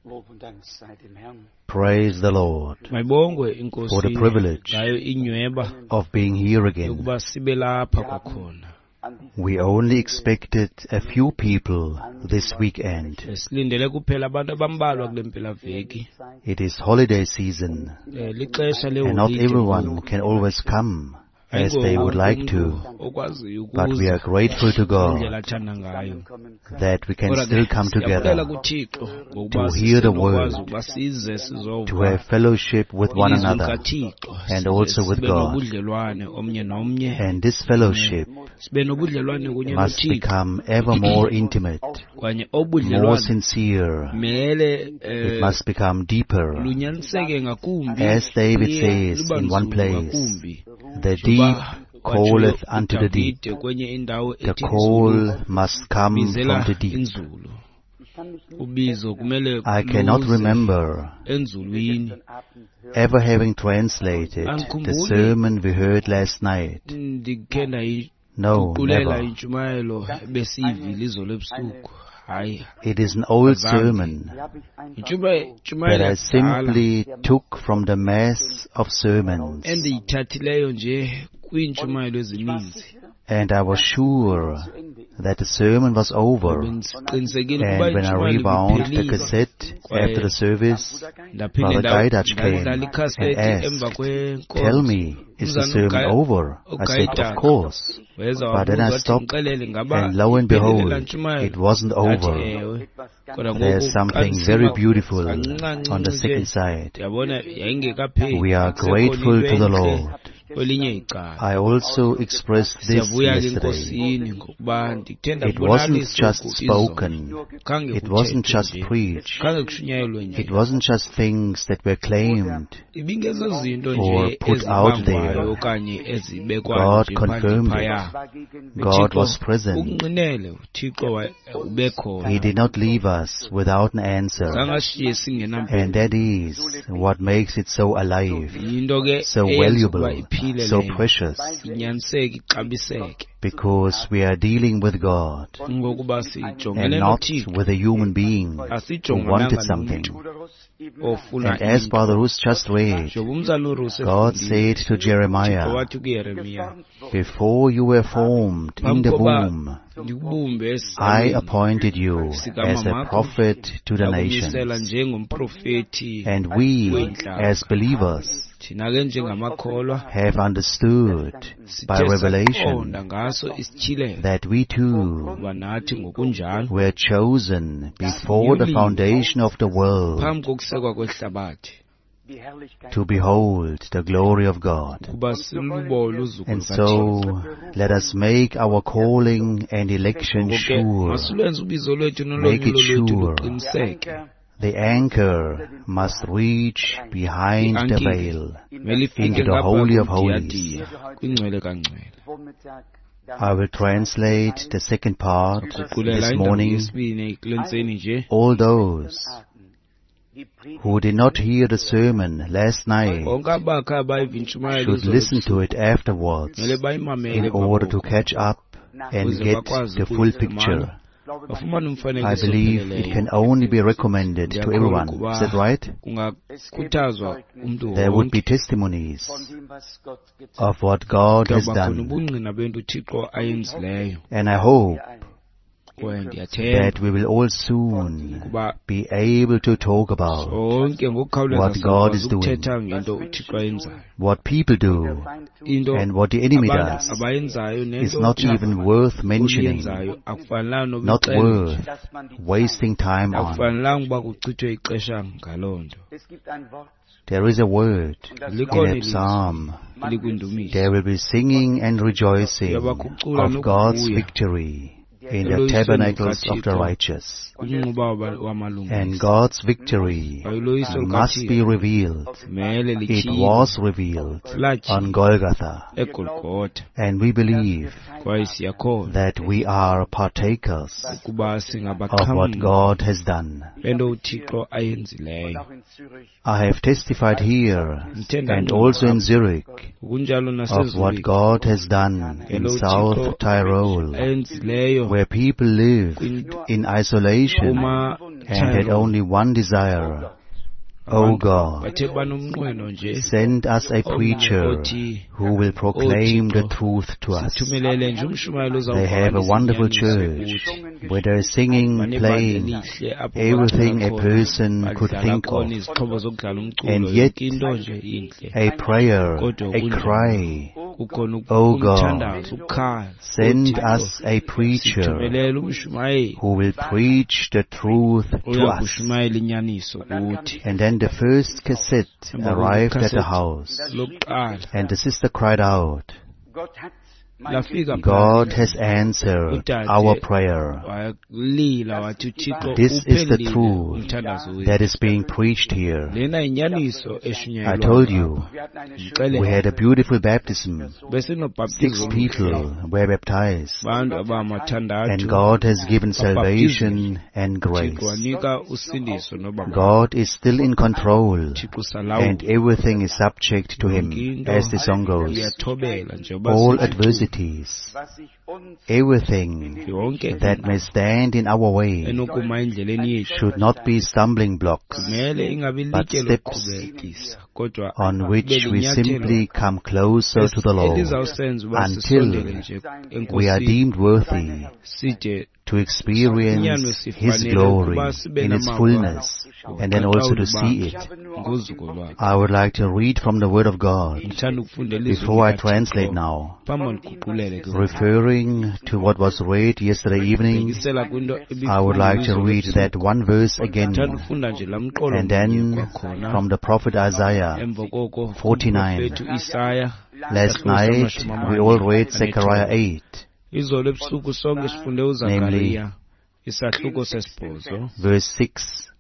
Lob und Dank sei dem Herrn. Praise the Lord Mayibongwe for inkosi the privilege ngayo inyweba of being here again. yokuba sibe lapha kwakhona. An diesem We only expected a few people this weekend. Silindele kuphela abantu abambalwa kule mpelaveki. It is holiday season Lixesha and not leholide everyone ngoku. can always come as Ayingo they would wonke like umntu to. okwaziyo But we are ukuza grateful to God ngendlela athanda ngayo. kommen können. that we can Kodwa still ke come siyabulela together kuThixo ngokuba to hear the sisenokwazi word, ukuba size to sizova have fellowship with one ilizwi another likaThixo, and size also with sibe God. nobudlelwane omnye nomnye, And this fellowship sibe nobudlelwane kunye must noThixo. become ever more intimate, Kwanye more obudlelwane sincere. mele It must become deeper. lunyaniseke ngakumbi, As David luye says luba in one nzulu place, ngakumbi. the deep Njengoba kwatshiwo calleth unto the deep. uDavide kwenye indawo The ethi call inzulu must come from bizela the deep. inzulu. Ich kann mich nicht Ubizo kumele I cannot luze remember enzulwini. gestern Abend hören. ever having translated the Andikhumbuli sermon we heard last night. ndikhe No, ndayiguqulela never. intshumayelo ebesiyivile izolo ebusuku. Hayi, It is an old azange. sermon Die habe ich einfach Intshumayelo so that intshumayelo I yakudala simply took from the mass of sermons, endiyithathileyo nje kwiintshumayelo Ich war ezininzi. sicher, and I was sure zu Ende ist. that the sermon was over. Bendiqinisekile ukuba And when I intshumayelo rewound the ibiphelile cassette kwaye after the service, Bruder Geist, ndaphinde Brother Gaidach came ndadlala and ikhasethi emva asked, "Tell kwenkonzo. me, is the Umzana sermon over?" I said, "Of uGaidach course." weza But then wabuza I wathi, stopped, "Ndixelele, ngaba and lo and iphelile laa behold, it ntshumayelo?" wasn't Ndathi, over. ewe. etwas ganz Kodwa There's ngoku xa something ndisima very beautiful kancinci on the nje second side. ndiyabona yayingekapheli, We are kusekhona grateful into to the entle Lord. kwelinye icala. I also expressed this Siyavuya ke yesterday. enkosini ngokuba ndithe It wasn't ndakubonakalisa just oku izolo. spoken. Khange It wasn't kuthethwe just nje, preached. khange kushunyayelwe nje. It wasn't just things that were claimed Ibingezo zinto or nje put out ezibangwayo there. okanye ezibekwayo God nje phandle confirmed phaya. it. war gegen God uThixo was present. ukunqinele, uThixo ubekhona. He did not leave us without an answer. Zange ashiye singenampendulo. And that is what makes it so alive, Yinto ke so eyenza ukuba valuable, iphile so leyo, precious, inyaniseke, ixabiseke, because we are dealing with God ngokuba and sijongene not noThixo, with a human being who asijongananga wanted something. nomntu Bruder Russ eben ofuna And as into. Brother Russ just read, Njengoba umzali uRuss God efundile, said to uThixo Jeremiah, wathi kuYeremiya, geformt wurde, "Before you were formed in phambi the koba womb, ndikubumbe I esizalweni appointed you as a sikamamakho, prophet to the ndakumisela nations." njengomprofethi And we, weentlanga. as believers, Thina ke njengamakholwa have understood by sithe revelation saqonda ngaso isityhilelo that we too ukuba nathi ngokunjalo were chosen before the sinyuliwe foundation of the world phambi kokusekwa kwehlabathi die Herrlichkeit to behold the glory of God. ukuba silubone uzuko And lukaThixo. so let us make our calling and election Ngoko ke sure. masilwenze ubizo lwethu Make it nolonyulo lwethu sure. Der luqiniseke. Anker The anchor must reach behind the Iankile veil mele ifike into the ngapha Holy of Holies. komdiyadiya kwingcwele kangcwele. Vormittag I will translate the second part Guqulela this indawo morning. yesibini kule ntseni nje. All those Abend die Predigt who did not hear the sermon last night Bonke abakhe abayiva intshumayelo should izolo listen ebusuku to it afterwards mele bayimamele in emva order to koko catch up and ukuze get bakwazi the full ukuyifumana picture. glaube man bafumane I umfanekiso believe it opheleleyo. can only be recommended to Ndiyakholwa everyone. ukuba Is that right? kungakhuthazwa umntu There would be wonke testimonies von dem, was Gott getan of what God has kuyawuba khona done. ubungqina bento uThixo ayenzileyo. And I hope hat. Kwaye ndiyathemba that we will all soon ukuba be able to talk about sonke ngokukhawuleza what God sizawukwazi is doing, ukuthetha ngento uThixo ayenzayo. what people do, Feind tut, Into and what the enemy abantu does abayenzayo is nento not even worth mentioning, uyenzayo akufanelanga noba not ixelwe nje. worth dass man die Zeit. wasting time on. Akufanelanga uba kuchithwe ixesha ngaloo nto. Es gibt ein Wort, There is a word und das in Likhona a ilizwi psalm. elikwindumiso. There will be singing and rejoicing Uyabakucula of God's nokuvuya victory in the eloyisweni tabernacles of the lukaThixo righteous. kumnquba And wamalungisa. God's victory Kwaye uloyiso must be lukaThixo revealed. mele It lityhilwe, was revealed on latyhilwa Golgotha. eGolgotha. And we believe Kwaye siyakholwa that we are partakers ukuba of what singabaxhamli God has done. bento uThixo ayenzileyo. auch in Zürich I have testified here Ndithe and ndangqina also in apha Zurich ngokunjalo of what naseZurich God has done in ngelo South uThixo Tyrol, ayenzileyo where people live in isolation kuma and had only one desire. O God, Bathe banomnqweno nje send us a preacher othi who will proclaim the truth to us. sithumelele nje umshumayeli They have a ozawuvakalisa wonderful inyaniso church kuthi. where they're singing, Banebandla playing, elihle apho everything bacula a khona, person could badlala think khona of. izixhobo zokudlala umculo And yet, yonke into nje intle. A prayer, Kodwa a kunjalo. cry, Kukhona O God, umthandazo, ukukhala. send uThixo, us a preacher sithumelele umshumayeli who will preach the truth to oya us. kushumayela inyaniso kuthi. And then the first cassette Emva koko arrived at the ikhaseti house, lokuqala and the sister cried out, Gott hat mein lafika God has answered Udade our prayer. Walila wathi uThixo This is the uphendulile truth umthandazo wethu. that is being preached here. Lena yinyaniso I eshunyayelwa told you, Wir hatten eine Ngixelele. we had a beautiful baptism. 6 Besinobhaptizo people were baptized, abantu abamathandathu and God has given salvation and Thixo grace. wanika usindiso noba God is still in control, Thixo usalawula and everything is subject to yonke Him, into as the song goes. iyathobela njengoba All sithi adversities, was sich uns everything yonke that may stand in our way enokuma endleleni yethu should not be stumbling blocks, kumele ingabi but litye steps lokuqhubekisa kodwa on which kube we linyathelo simply come closer to the Lord elizawusenza uba until sisondele nje we are enkosini deemed worthy side to experience His glory in its fullness and then also to see it. Ngozuko lwakhe. I would like to read from the Word of God Ngithanda ukufunda ilizwi before I likaThixo translate now, phambi ndiguqulele ke ngoku. referring to what was read yesterday evening. Bhekisela kwinto I would like to ebifundwa read izolo that one verse ebusuku. again, Ngithanda ukufunda nje laa mqolo and mnye then kwakhona from the prophet Isaiah emva koko 49. kumprofethi uIsaya Last isahluko night samashumi we all amane read Zechariah anethoba. 8, Izolo ebusuku sonke sifunde namely uZakariya isahluko sesibhozo verse 6.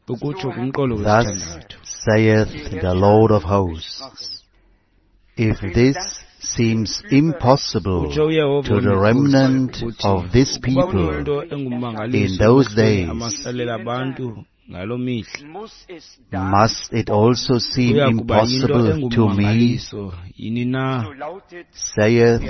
ukutsho kumqolo Thus wesithandathu. saith the Lord of hosts, if this seems impossible Utsho uYehova to the wemikhosi remnant ukuthi of this ukuba people kuyinto engummangaliso in those emehlweni days, amasalela abantu ngaloo mihla muss es da, must it also seem kuya kuba yinto impossible to me, engummangaliso yini na so lautet saith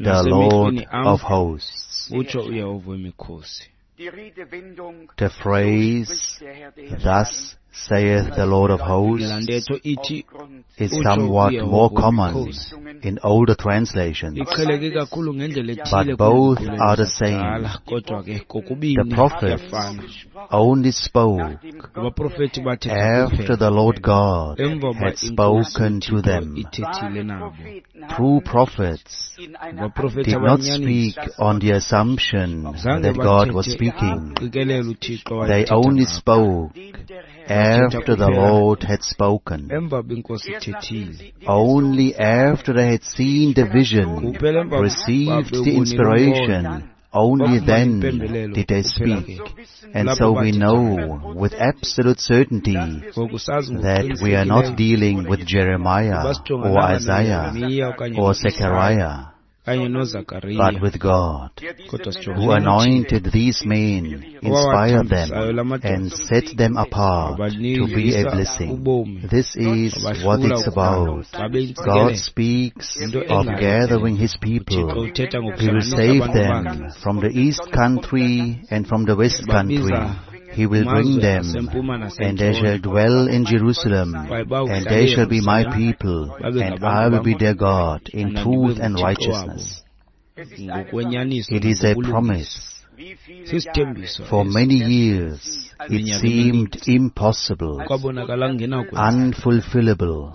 the Lord nasemehlweni am of hosts. utsho uYehova wemikhosi. die Redewendung, The so phrase, spricht der Herr der Herrscharen, thus saith the Lord of Laa hosts, ntetho ithi aufgrund is utsho somewhat uYehova more common wemikhosi in older translations, iqheleke kakhulu ngendlela ethile but both kwiinguqulelo are the same. zakudala kodwa ke The kokubini prophets kuyafana. only spoke Abaprofethi bathetha after kuphela the Lord God emva uba had inkosi spoken to uThixo them. ithethile nabo. Propheten True haben prophets in einer Abaprofethi did not abanyaniso speak on the assumption zange that God was bathethe speaking. qikelele uThixo They wayethetha only ngabo. spoke dem der Herr Bathetha after the kuphela Lord had spoken. emva uba inkosi erst nachdem ithethile. sie die Only Vision after they had seen the vision, Kuphela emva uba received the bewubonile umbono inspiration, only bafumana then impembelelo did they kuphela speak. ke so wissen And kulapho so we bathetha know with absolute certainty ngoku sazi that we are not ngokuqinisekileyo dealing with uba Jeremiah or sijongananga Isaiah noYeremiya okanye or noIsaya Zechariah, kanye but noZakariya with God, der diese kodwa Männer who sijongene noThixo anointed these men, inspired them, owawathambisayo la madoda and set them apart to be a wabanikisa blessing. ubomi This is what wabahlula it's ukuba about. babe God yintsikelelo speaks yinto of engayo gathering His uThixo people. uthetha He will ngokuhlanganisa save abantu them bakhe from the east country and from the west country. babiza He will bring kumazwe them, asempuma and they nasentshona shall dwell in Jerusalem, kwaye and bawuhlala they shall be my eYerusalem people, babe and ngabantu I will bam be their God in mna ndibe truth and nguThixo wabo righteousness. Es ist eine ngokwenyaniso It is a nangobulungisa. promise. Wie viele Sisithembiso For eso. many years it Minyaka seemed emininzi impossible, kwabonakala kungenakwenzeka unfulfillable,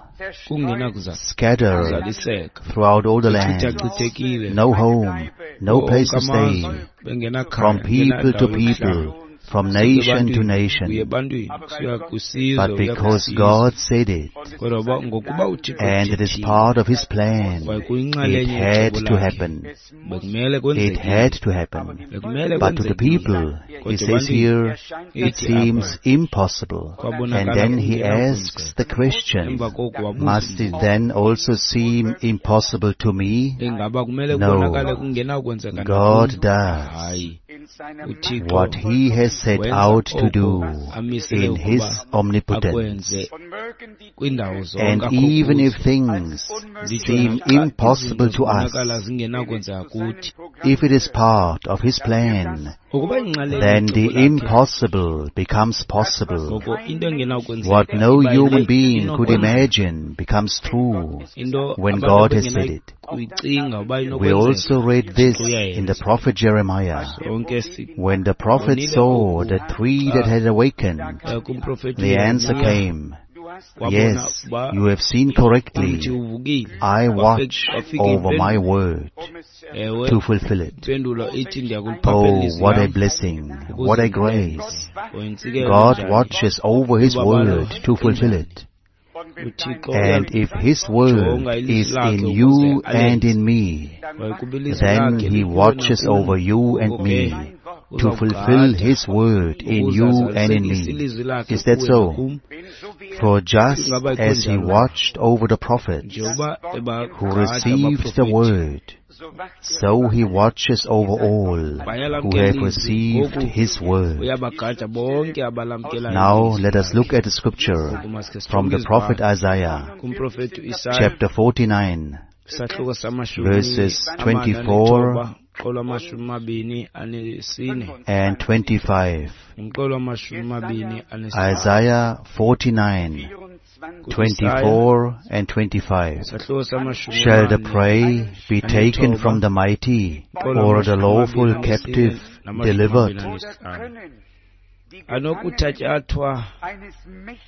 scattered kungenakuzaliseka throughout all the land, bechithachithekile no home, no kuwo place onke to stay, amazwe bengenakhaya from people to bengenandawo yokuhlala people, from suka nation to ebantwini uye nation. ebantwini kusuka kwisizwe But uya because kwisizwe God said it, kodwa ngokuba uThixo and it is ethethile part of His plan, kwaye it kuyinxalenye had yecebo to lakhe happen. bekumele It kwenzekile had to happen. bekumele But to the kwenzekile people, he kodwa says ebantwini here, it ithi apha seems impossible. And kwabonakala then he kungenakwenzeka asks the question, emva koko wabuza must it umbuzo then also seem impossible to me? ingaba kumele No. kubonakale kungenakwenzeka God nakum does hayi in seiner uThixo what He has set wenza out to oko do amisele in ukuba His omnipotence. akwenze Und mögen die kwindawo Dinge zonke And akho even kuzo if things nditsho seem naxa impossible izinto to zibonakala us, zingenakwenzeka kuthi if it is part of His plan Ukuba inxalenye then the yecebo lakhe, impossible becomes possible. ngoko into engenakwenzeka What no iba yile human being could inokwenzeka. imagine becomes true Into when abantu God has said it. abebengenakuyicinga uba We inokwenzeka, also read this Uyayenza. in the prophet Jeremiah. Sonke si When the prophet saw the tree that had awakened, kumprofeti the answer uYeremiya, came, wabona Yes, uba you have seen umthi correctly. uvukile. I watch Wafika over my impendulo. word Ewe, to fulfill it. impendulo ithi ndiyakuliphaphela Oh, ilizwi what a lam blessing, what a grace. Uyintsikelelo God njani. watches over His word to fulfill it. uThixo And if His word is in you and in me, uyaljonga ukuba ilizwi then lakhe He likuwe watches nakum. over you and Ngoko me ke, to fulfill His word in ukuze you and in azalisekise me. ilizwi lakhe Is that kuwe so? nakum. For just as He watched over the prophets Njengoba who ebagada received the abaprofeti, word, so He watches over all who bayalamkela have ilizwi. received Ngoku His word. uyabagada bonke abalamkelayo Now ilizwi let us lakhe. look at the scripture Ngoku masike from sijonge the prophet izibhalo Isaiah, kumprofeti uIsaya chapter 49, isahluko samashumi verses amane 24 anethoba umqolo wamashumi mabini anesine and 25. umqolo wamashumi mabini anesine Isaiah 49, kuIsaya 24 and 25. isahluko samashumi Shall the amane prey be taken from the mighty, umqolo or the wamashumi lawful mabini anesine captive namashumi delivered? mabini anesihlanu anokuthatyathwa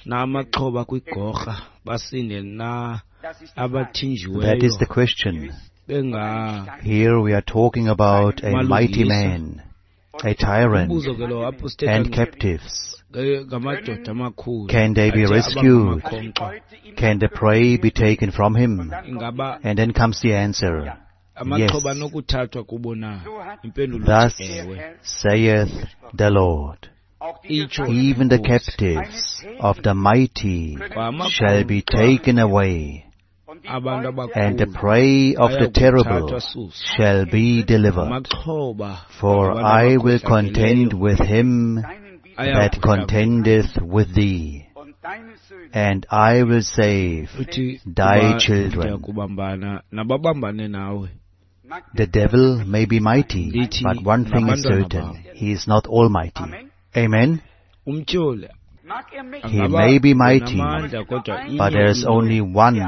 namaxhoba kwigorha basinde na That is abathinjiweyo the question. benga Here we are talking about a mighty Malungisa. man, a tyrant, Umbuzo ke lo apho sithetha and captives. ngamadoda amakhulu Can they be athe rescued? abangamakhonkco. Can the prey be taken from him? Ingaba And then comes the answer. Yes. amaxhoba anokuthathwa kubo na? Impendulo Thus ithi ewe. saith the Lord. Itsho Even the inkosi. captives of the mighty shall be taken away, Abantu and the abakhulu prey of the terrible bayakuthathwa susa. shall be delivered. Amaxhoba For abantu I will contend abakhohlakeleyo with him that ayakuhlangulwa. contendeth with thee, and I will save Uthi thy kuba children. ndiyakubambana nababambane nawe. The devil may be mighty, Ndithi but one thing is nabantwana certain, babo. he is not almighty. Amen? Umtyholi He angaba may be mighty, unamandla kodwa but inye there is into only one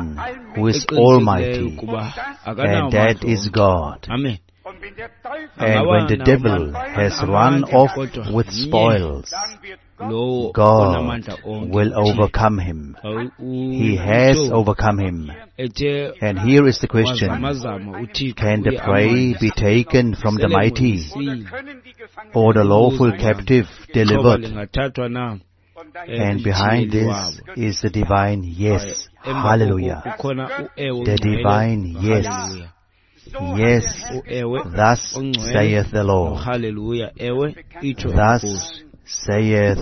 who is eqinisekileyo almighty, ukuba akanawo and that amandla is onke. God. Amen. And Angaba when the nawo devil has run amandla off kodwa with mnye spoils, lowo God onamandla onke will uThixo. overcome him. Xa He has umtyholi overcome him. ethe And here is the question. wazamazama uThixo Can the uye prey be amoyise. taken from the Sele mighty, moyisile. or the lawful Umbuzo wam, captive ixhoba delivered? lingathathwa na And behind kumthiyeli this wabo? is the divine yes. Emva koko Hallelujah. kukhona uewe The ongcwele divine yes. nohaleluya. Yes, Uewe thus ongcwele saith the Lord. nohaleluya. Ewe itsho Thus inkosi. saith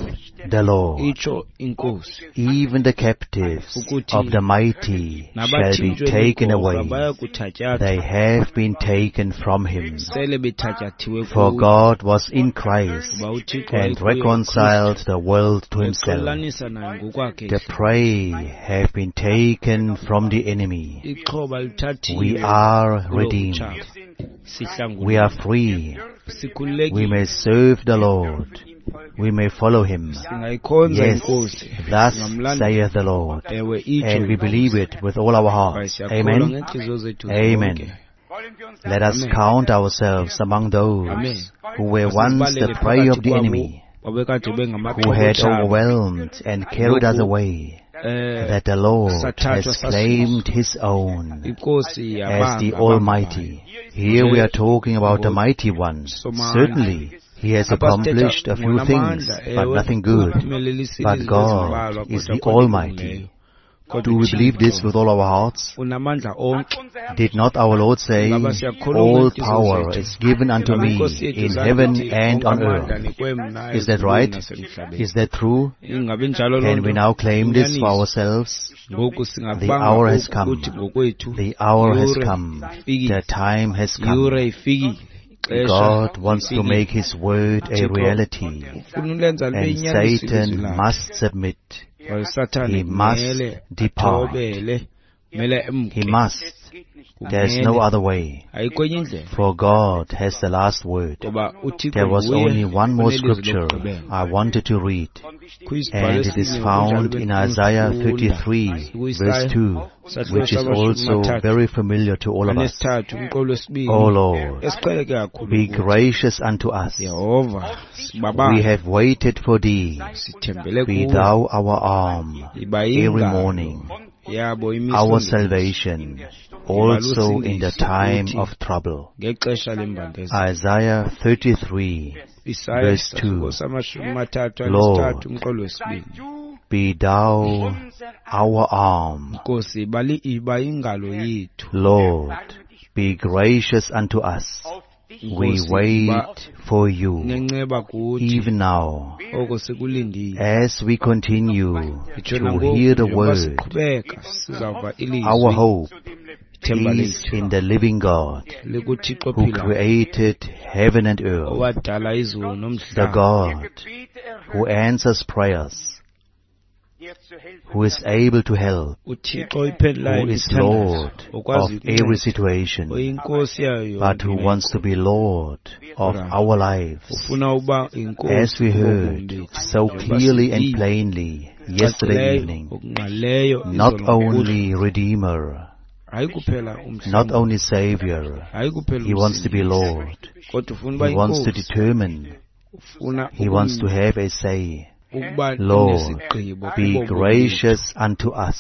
the Lord. Itsho inkosi Even the captives ukuthi of the mighty shall be nabathinjwe taken ligorha away. bayakuthatyathwa They have been taken from him. sele bethatyathwe For kuye. God was in Christ Kuba uThixo and wayekuye uKristu reconciled the world to himself. exolanisa naye ngokwakhe The prey have been taken from the enemy. Ixhoba We lithathiwe are kulo redeemed. utshaba. We are Sihlanguliwe. free. We Sikhululekile. may serve the Lord. We may follow him. Singayikhonza Yes, inkosi. thus Singamlandela. saith the Lord. Ewe itsho And we believe inkosi. it with all our Kwaye hearts. siyakholwa Amen. ngeentliziyo zethu Amen. zonke. Let us Amen. count ourselves among Amen. those who were once the Masizibalele prey of phakathi the kwabo enemy, babekade who bengamaxhoba had otshaba. overwhelmed and carried us Ngoku away, that the Lord sathathwa has sasuswa. claimed his own Inkosi as the yabanga Almighty. Here we are talking about the Mighty One. Somandla. Certainly, he has Apha sithetha accomplished a few things, ngonamandla, but ewe, nothing good. uphumelelisile But izinto God ezimbalwa, is kodwa the akho nto Almighty. ilungileyo. Kodwa Do we believe this uThixo with all our hearts? unamandla onke. Did not our Lord say, Ingaba siyakholwa All ngeenhliziyo power zethu? is given unto Ingaba me inkosi yethu in zange heaven ithi, and "Onke on amandla earth"? anikwe mna Is that ezulwini right? nasemhlabeni." Is that true? Ingabe injalo loo Can we nto? now claim this for Inyaniso. ourselves? Ngoku The singakubanga hour has oku come. kuthi ngokwethu The hour has Yure come. ifikile. The time has come. Yure ifikile. Ixesha God wants to lifikile. make His word a Thixo reality, ufuna ulenza libe and yinyaniso ilizwi Satan lakhe. must submit. Kwaye uSathane He must kumele depart. athobele, Mele He emke. must. There's no other way. Ayikho enye indlela. For God has the last word. Ngoba uThixo There was nguye only one more onelizwi scripture lokugqibela. I wanted to read, Kukho isibhalo and it is esinye found ngokunjalo in Isaiah bendifuna 33, ukufunda. verse 2, Isahluko which is samashumi also amathathu very familiar to all of us. anesithathu umqolo wesibini O Lord, esiqheleke kakhulu be kuthi. gracious unto us. Yehova We sibabala have waited for thee. sithembele Be kuwe thou our arm iba every yingalo morning, yabo imiso our ngemiso salvation, also in the time of trouble. ngexesha lembandezelo. Isaiah 33, Isaya verse isahluko 2. samashumi amathathu Lord, anesithathu umqolo wesibini. be thou our arm. Nkosi iba ingalo yethu. Lord, be gracious unto us. We Nkosi iba wait for you, nenceba kuthi even now, oko sikulindile. as we continue Nditsho to nangoku hear the njengoba word. siqhubeka sizawuva Our ilizwi. hope Ithemba is lethu in the living God likuThixo who ophilayo created heaven and earth, owadala izulu the nomhlaba, God who answers prayers, who is able to help, uThixo oyiphendulayo who is imithandazo, Lord of okwazi every ukunceda, situation, oyinkosi yayo but yonke who imeko. wants to be Lord of our lives. Ufuna uba As inkosi we kubomi heard bethu so njengoba clearly and sivile plainly yesterday cacileyo evening, ngokungqalileyo not izolo ngokuhlwa, only Redeemer, hayi kuphela not umhlanguli, only Savior, hayi kuphela He wants to be umsindisi, Lord. kodwa ufuna uba He wants to inkosi, determine. ufuna He wants to have a say. ukuba Lord, nesigqibo be kubomi bethu. gracious unto us.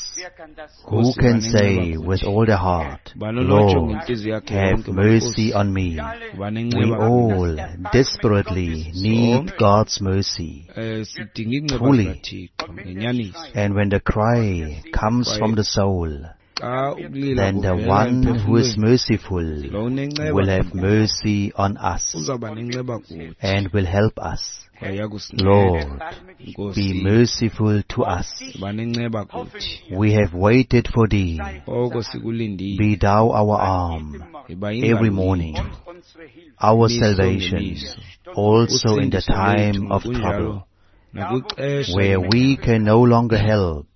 Who Nkosi, can yiba nenceba say with kuthi. all the heart, Yiba nonotsho Lord, ngentliziyo yakhe have yonke, mercy Nkosi, on me? yiba We nenceba kuthi. all desperately need Sonke God's mercy. Sidinga iinceba Truly. zikaThixo ngenyaniso. And when the cry comes Kwaye from the soul, xa ukulila then the kuvela one who is emphefumlweni, merciful lo unenceba will have mercy on us uzawuba nenceba kuthi and will help us. kwaye uyakusinceda. Lord, be Nkosi, merciful to us. yiba nenceba kuthi. We have waited for thee. Oko sikulindile. Be thou our arm Yiba every yingalo morning, yethu our imiso salvation, ngemiso, also in the usindiso lethu time of ngokunjalo trouble, nakwixesha where we lengxaki can no longer help,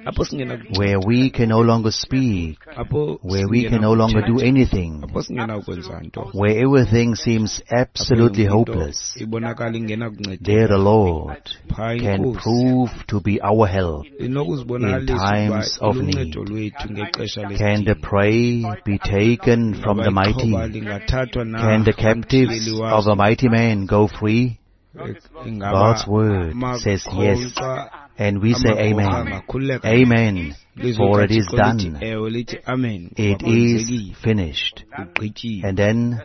apho singenakunceda, where we can no longer speak, apho where we can no longer do singenakuthetha, anything, apho singenakwenza nto, where everything seems apho absolutely yonke into hopeless, ibonakala ingenakuncedeka. there the Lord Phaa can iNkosi prove to be our help in inokuzibonakalisa ukuba times of need. iluncedo lwethu ngexesha Can the lesidingo. prey be taken from Ingaba the mighty? ixhoba lingathathwa na Can the captives kumthiyeli of a waso? mighty man go free? Ingaba God's word says yes, amakhonkxa and we say amagorha amen. angakhululeka na? Amen, Ilizwi for it is likaThixo lithi done. ewe, lithi amen, ngoba It is kwenzekile, finished. kugqityiwe. And then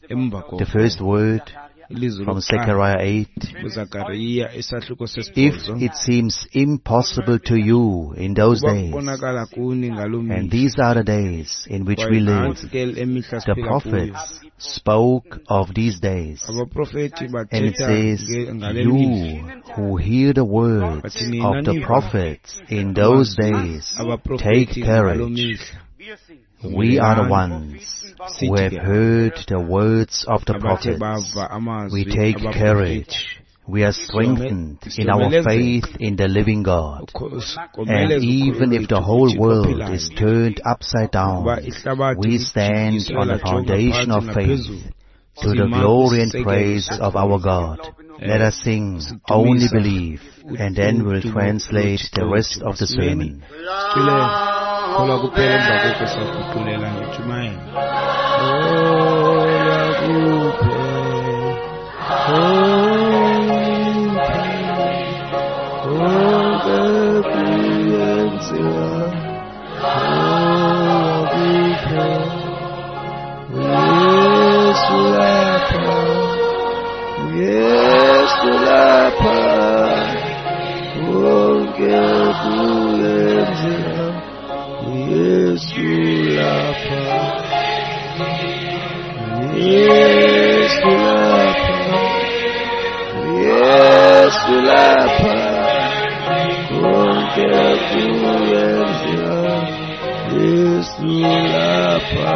Emva the koko first word ilizwi from lokuqala Zechariah 8. kuZakariya isahluko If sesibhozo, it seems impossible to you in those uba days, kubonakala kuni ngaloo and mihla, these are the days in which kwaye we live, nantsi ke emihla the siphila kuyo, prophets spoke of these days. abaprofethi And it bathetha says, ngale mihla, you who hear the words bathi nina of the niva prophets in those amazwi days, take abaprofethi ngaloo courage. mihla, We are the yomelelani. ones who Sithi have ke heard the words of the abathe prophets. bava We amazwi take abaprofethi, courage. We are strengthened in our siyomelezeka. faith in the living God. And Komeleza ukholo even if the lwethu whole kuThixo world ophilayo. is turned upside down, Ukuba ihlabathi we stand lijikiswe on the lajonga foundation phantsi of faith naphezulu, to the sima glory and kwisisekelo praise of our sokholo. God. Let us sing, Only Sidumisa Believe, and then we'll udumo translate the loThixo rest wethu. of the Masimeni sermon. sicule kholwa kuphela, emva koko saguqulela ngentshumayelo. Kholwa kuphela, konke kuyenziwa, kholwa kuphela, uYesu lapha, uYesu lapha, konke kuyenziwa, uYesu lapha, uYesu lapha, uYesu lapha, konke kuyenziwa, Yesu lapha,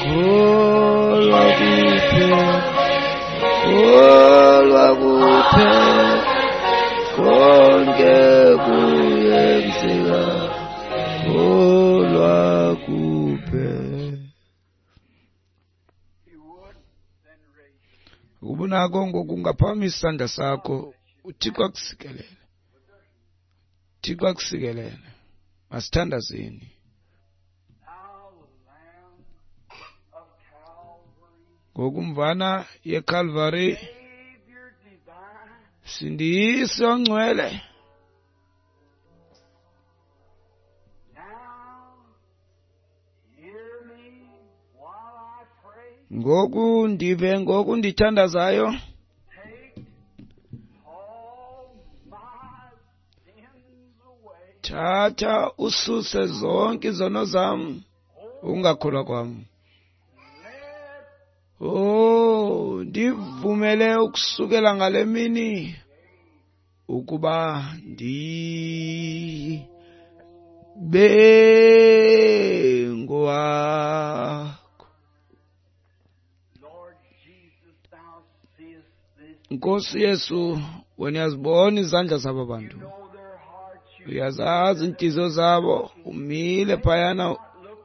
kholwa kuphela, kholwa kuphela, konke kuyenzeka. Ukuba unako ngoku ungaphakamisa isandla sakho, uThixo akusikelele. Thixo akusikelele. Masithandazeni. Ngokumvana yeCalvary, Msindisi ongcwele, ngoku ndive ngoku ndithandazayo, thatha ususe zonke izono zam, ukungakholwa kwam. Oh, ndivumele ukusukela ngale mini ukuba ndibe ngowakho. Nkosi Yesu, wena uyazibona izandla zaba bantu, uyazazi iintliziyo zabo, umile phayana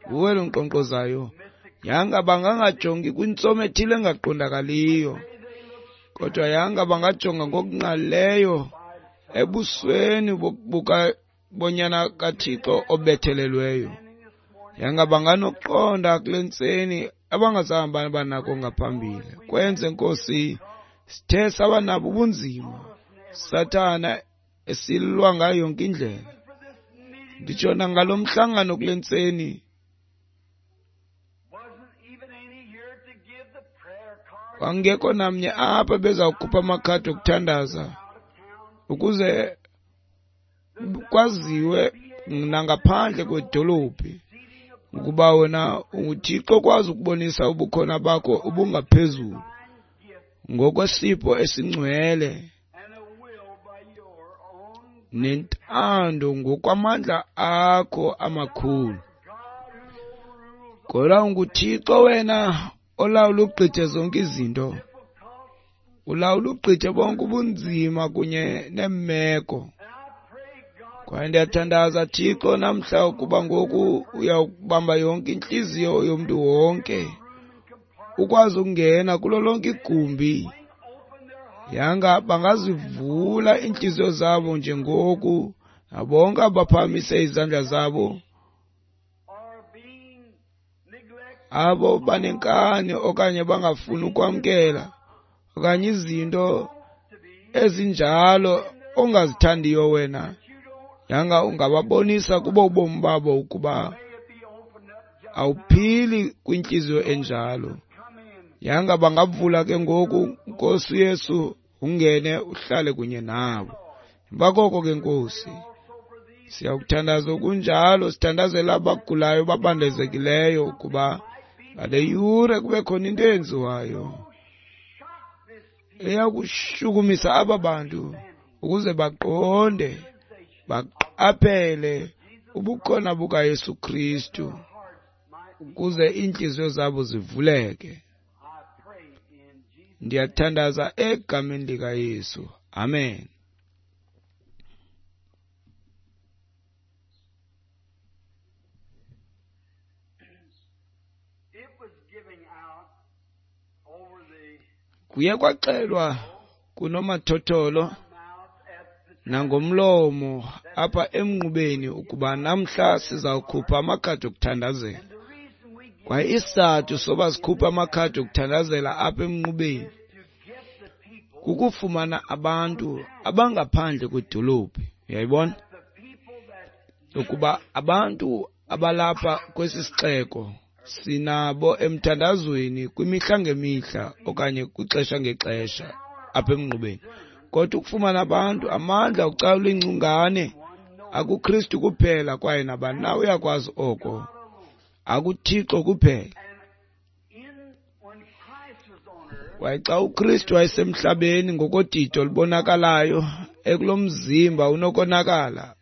nguwe lo nkqonkqozayo. Yanga bangangajongi kwintsomi ethile engaqondakaliyo, kodwa yanga bangajonga ngokungqalileyo ebusweni bonyana kaThixo obethelelweyo. Yanga banganokuqonda kule ntseni abangazange banako ngaphambili. Kwenze, Nkosi, sithe saba nabo ubunzima Sathana esilwa ngayo yonke indlela. Nditsho nangalo mhlangano kule ntseni, kwangekho namnye apha bezawukhupha amakhadi okuthandaza ukuze kwaziwe nangaphandle kwedolophi ukuba wena unguThixo okwazi ukubonisa ubukhona bakho obungaphezulu ngokwesipho esingcwele nentando ngokwamandla akho amakhulu. Kodwa unguThixo wena olawula ugqithe zonke izinto, ulawula ugqithe bonke ubunzima kunye neemeko. Kwaye ndiyathandaza, Thixo, namhla ukuba ngoku uyawubamba yonke intliziyo yomntu wonke, ukwazi ukungena kulo lonke igumbi. Yanga bangazivula iintliziyo zabo njengoku, nabonke abaphakamise izandla zabo, abo banenkani okanye bangafuni ukwamkela okanye izinto ezinjalo ongazithandiyo wena, yanga ungababonisa kubo ubomi babo ukuba awuphili kwintliziyo enjalo. Yanga bangavula ke ngoku, Nkosi Yesu, ungene uhlale kunye nabo. Emva koko ke, Nkosi, siyakuthandaza okunjalo, sithandazela abagulayo babandezekileyo ukuba ngale yure kube khona into eyenziwayo eyakushukumisa aba bantu ukuze baqonde, baqaphele ubukhona bukaYesu Kristu, ukuze iintliziyo zabo zivuleke. Ndiyathandaza egameni likaYesu. Amen. Kuye kwaxelwa kunomathotholo nangomlomo apha emnqubeni ukuba namhla sizawukhupha amakhadi okuthandazela. Kwaye isizathu soba sikhuphe amakhadi okuthandazela apha emnqubeni kukufumana abantu abangaphandle kwedolophi. Uyayibona? Ukuba abantu abalapha kwesi sixeko sinabo emthandazweni kwimihla ngemihla okanye kwixesha ngexesha apha emnqubeni. Kodwa ukufumana abantu amandla okucalula ingcungane akuKristu kuphela, kwaye nabani na uyakwazi oko, akuThixo kuphela. Kwaye xa uKristu wayesemhlabeni ngokodidi olubonakalayo ekulo mzimba unokonakala,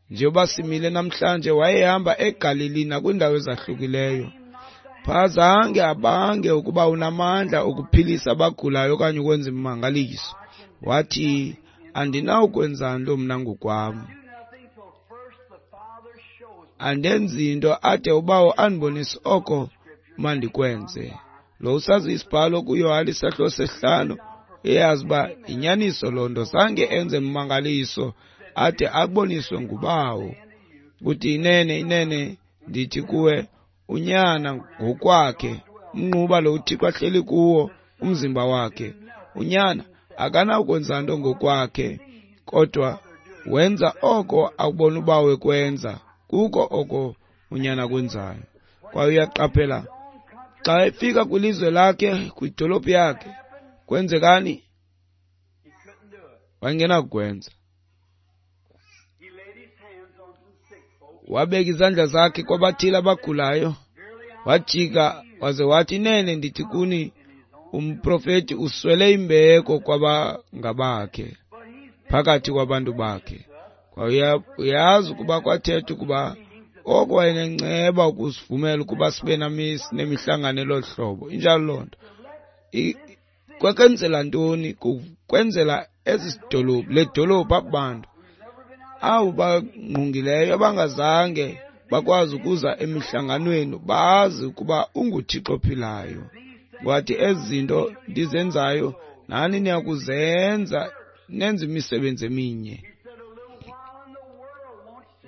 njengoba simile namhlanje, wayehamba eGalili nakwiindawo ezahlukileyo. Phaa zange abange ukuba unamandla okuphilisa abagulayo okanye ukwenza imimangaliso. Wathi, andinawukwenza nto mna ngokwam, andenzi nto ade uBawo andibonise oko mandikwenze. Lo usazi isibhalo kuYohane isahluko 5 eyazi uba inyaniso loo nto. Zange enze mmangaliso ade aboniswe nguBawo. Uthi inene inene ndithi kuwe, unyana ngokwakhe, umnquba lo uThixo ahleli kuwo umzimba wakhe, unyana akanakwenza nto ngokwakhe, kodwa wenza oko akubona uBawo ekwenza, kuko oko unyana akwenzayo. Kwaye uyaqaphela xa efika kwilizwe lakhe, kwidolophu yakhe, kwenzekani? Wayengenakukwenza. Wabeka izandla zakhe kwabathile abagulayo, wajika waze wathi, inene ndithi kuni, umprofeti uswele imbeko kwabangabakhe, phakathi kwabantu bakhe. Kwaye uyazi ukuba kwathetha ukuba oko wayenenceba ukusivumela ukuba sibe nemihlangano elo hlobo. Injalo loo nto. Kwakwenzela ntoni? Kwenzela ezi dolophu, le dolophu apho bantu abo bangqungileyo abangazange bakwazi ukuza emihlanganweni bazi ukuba unguThixo ophilayo. Wathi ezi zinto ndizenzayo nani niyakuzenza, nenze imisebenzi eminye.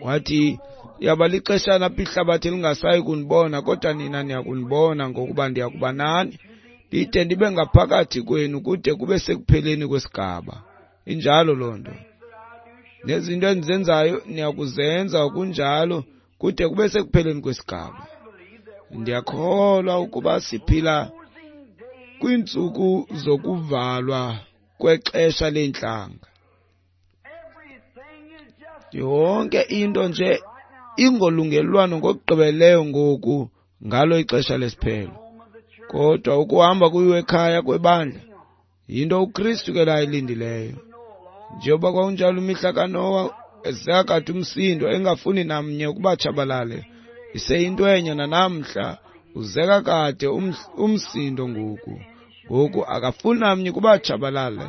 Wathi yaba lixeshana apho ihlabathi lingasayi kunibona, kodwa nina niyakundibona, ngokuba ndiyakuba nani ndide ndibe ngaphakathi kwenu kude kube sekupheleni kwesigaba. Injalo loo nto. Nezinto endizenzayo niyakuzenza kunjalo kude kube sekupheleni kwesigaba. Ndiyakholwa ukuba siphila kwiintsuku zokuvalwa kwexesha leentlanga. Yonke into nje ingolungelelwano ngokugqibeleleyo ngoku ngalo ixesha lesiphelo. Kodwa ukuhamba kuyiwe ekhaya kwebandla yinto uKristu ke layilindileyo. Njengoba kwakunjalo imihla kaNowa, ezakade umsindo engafuni namnye ukuba tshabalale, iseyinto enye nanamhla, uzeka kade umsindo ngoku. Ngoku akafuni namnye ukuba tshabalale.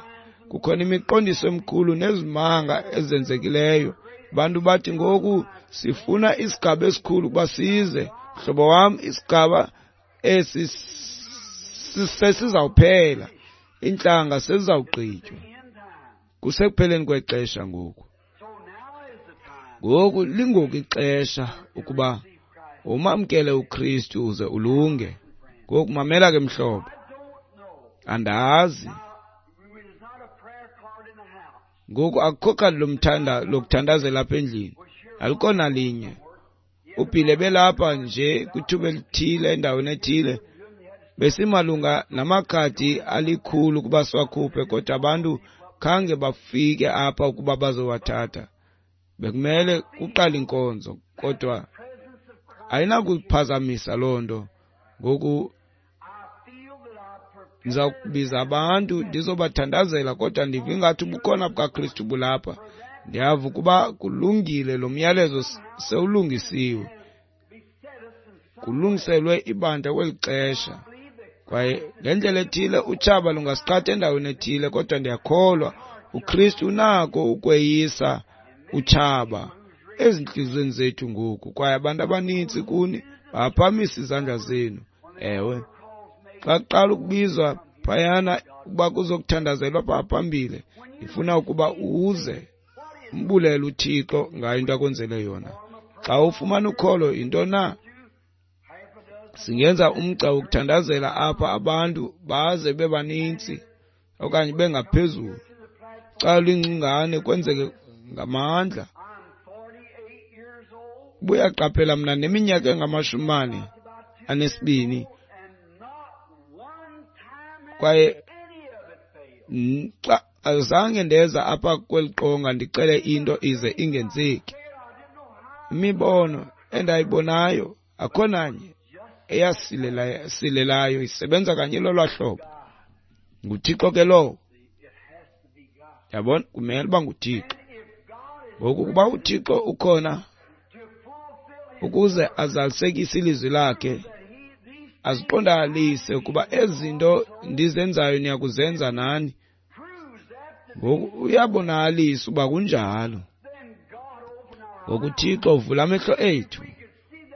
Kukhona imiqondiso emikhulu nezimanga ezenzekileyo. Abantu bathi ngoku sifuna isigaba esikhulu ukuba size. Mhlobo wam, isigaba esi sesizawuphela, iintlanga sezizawugqitywa. Kusekupheleni kwexesha ngoku. Ngoku lingoku ixesha ukuba umamkele uKristu uze ulunge. Ngoku mamela ke mhlobo, andazi ngoku akukho khadi lokuthandazela apha endlini, alikho nalinye. Ubhile belapha nje kwithuba elithile endaweni ethile, besimalunga namakhadi alikhulu ukuba siwakhuphe, kodwa abantu khange bafike apha ukuba bazowathatha. Bekumele kuqale inkonzo, kodwa ayinakuphazamisa loo nto. Ngoku ndiza kubiza abantu ndizobathandazela, kodwa ndiva ingathi ubukhona bukaKristu bulapha. Ndiyava ukuba kulungile, lo myalezo sewulungisiwe, kulungiselwe ibandla kweli xesha. Kwaye ngendlela ethile utshaba lungasiqhatha endaweni ethile, kodwa ndiyakholwa uKristu unako ukweyisa utshaba ezintliziyweni zethu ngoku. Kwaye abantu abanintsi kuni baphakamisa izandla zenu. Ewe, xa kuqala ukubizwa phayana ukuba kuzokuthandazelwa phaa phambili, ndifuna ukuba uze umbulele uThixo ngayo into akwenzele yona. Xa ufumana ukholo, yinto na? Singenza umgca wokuthandazela apha abantu baze bebanintsi okanye bengaphezulu. Xa luyingcingane kwenzeke ngamandla. Buyaqaphela mna neminyaka engama-42, kwaye xa azange ndeza apha kweli qonga ndicele into ize ingenzeki. Imibono endayibonayo akho nanye eyasilelayo, isebenza kanye lolwa hlobo. NguThixo ke lowo. Yabona, kumele uba nguThixo. Ngoku ukuba uThixo ukhona ukuze azalisekise ilizwi lakhe, aziqondakalise ukuba ezi zinto ndizenzayo niyakuzenza nani. Ngoku uyabonakalisa uba kunjalo. Ngoku uThixo uvula amehlo ethu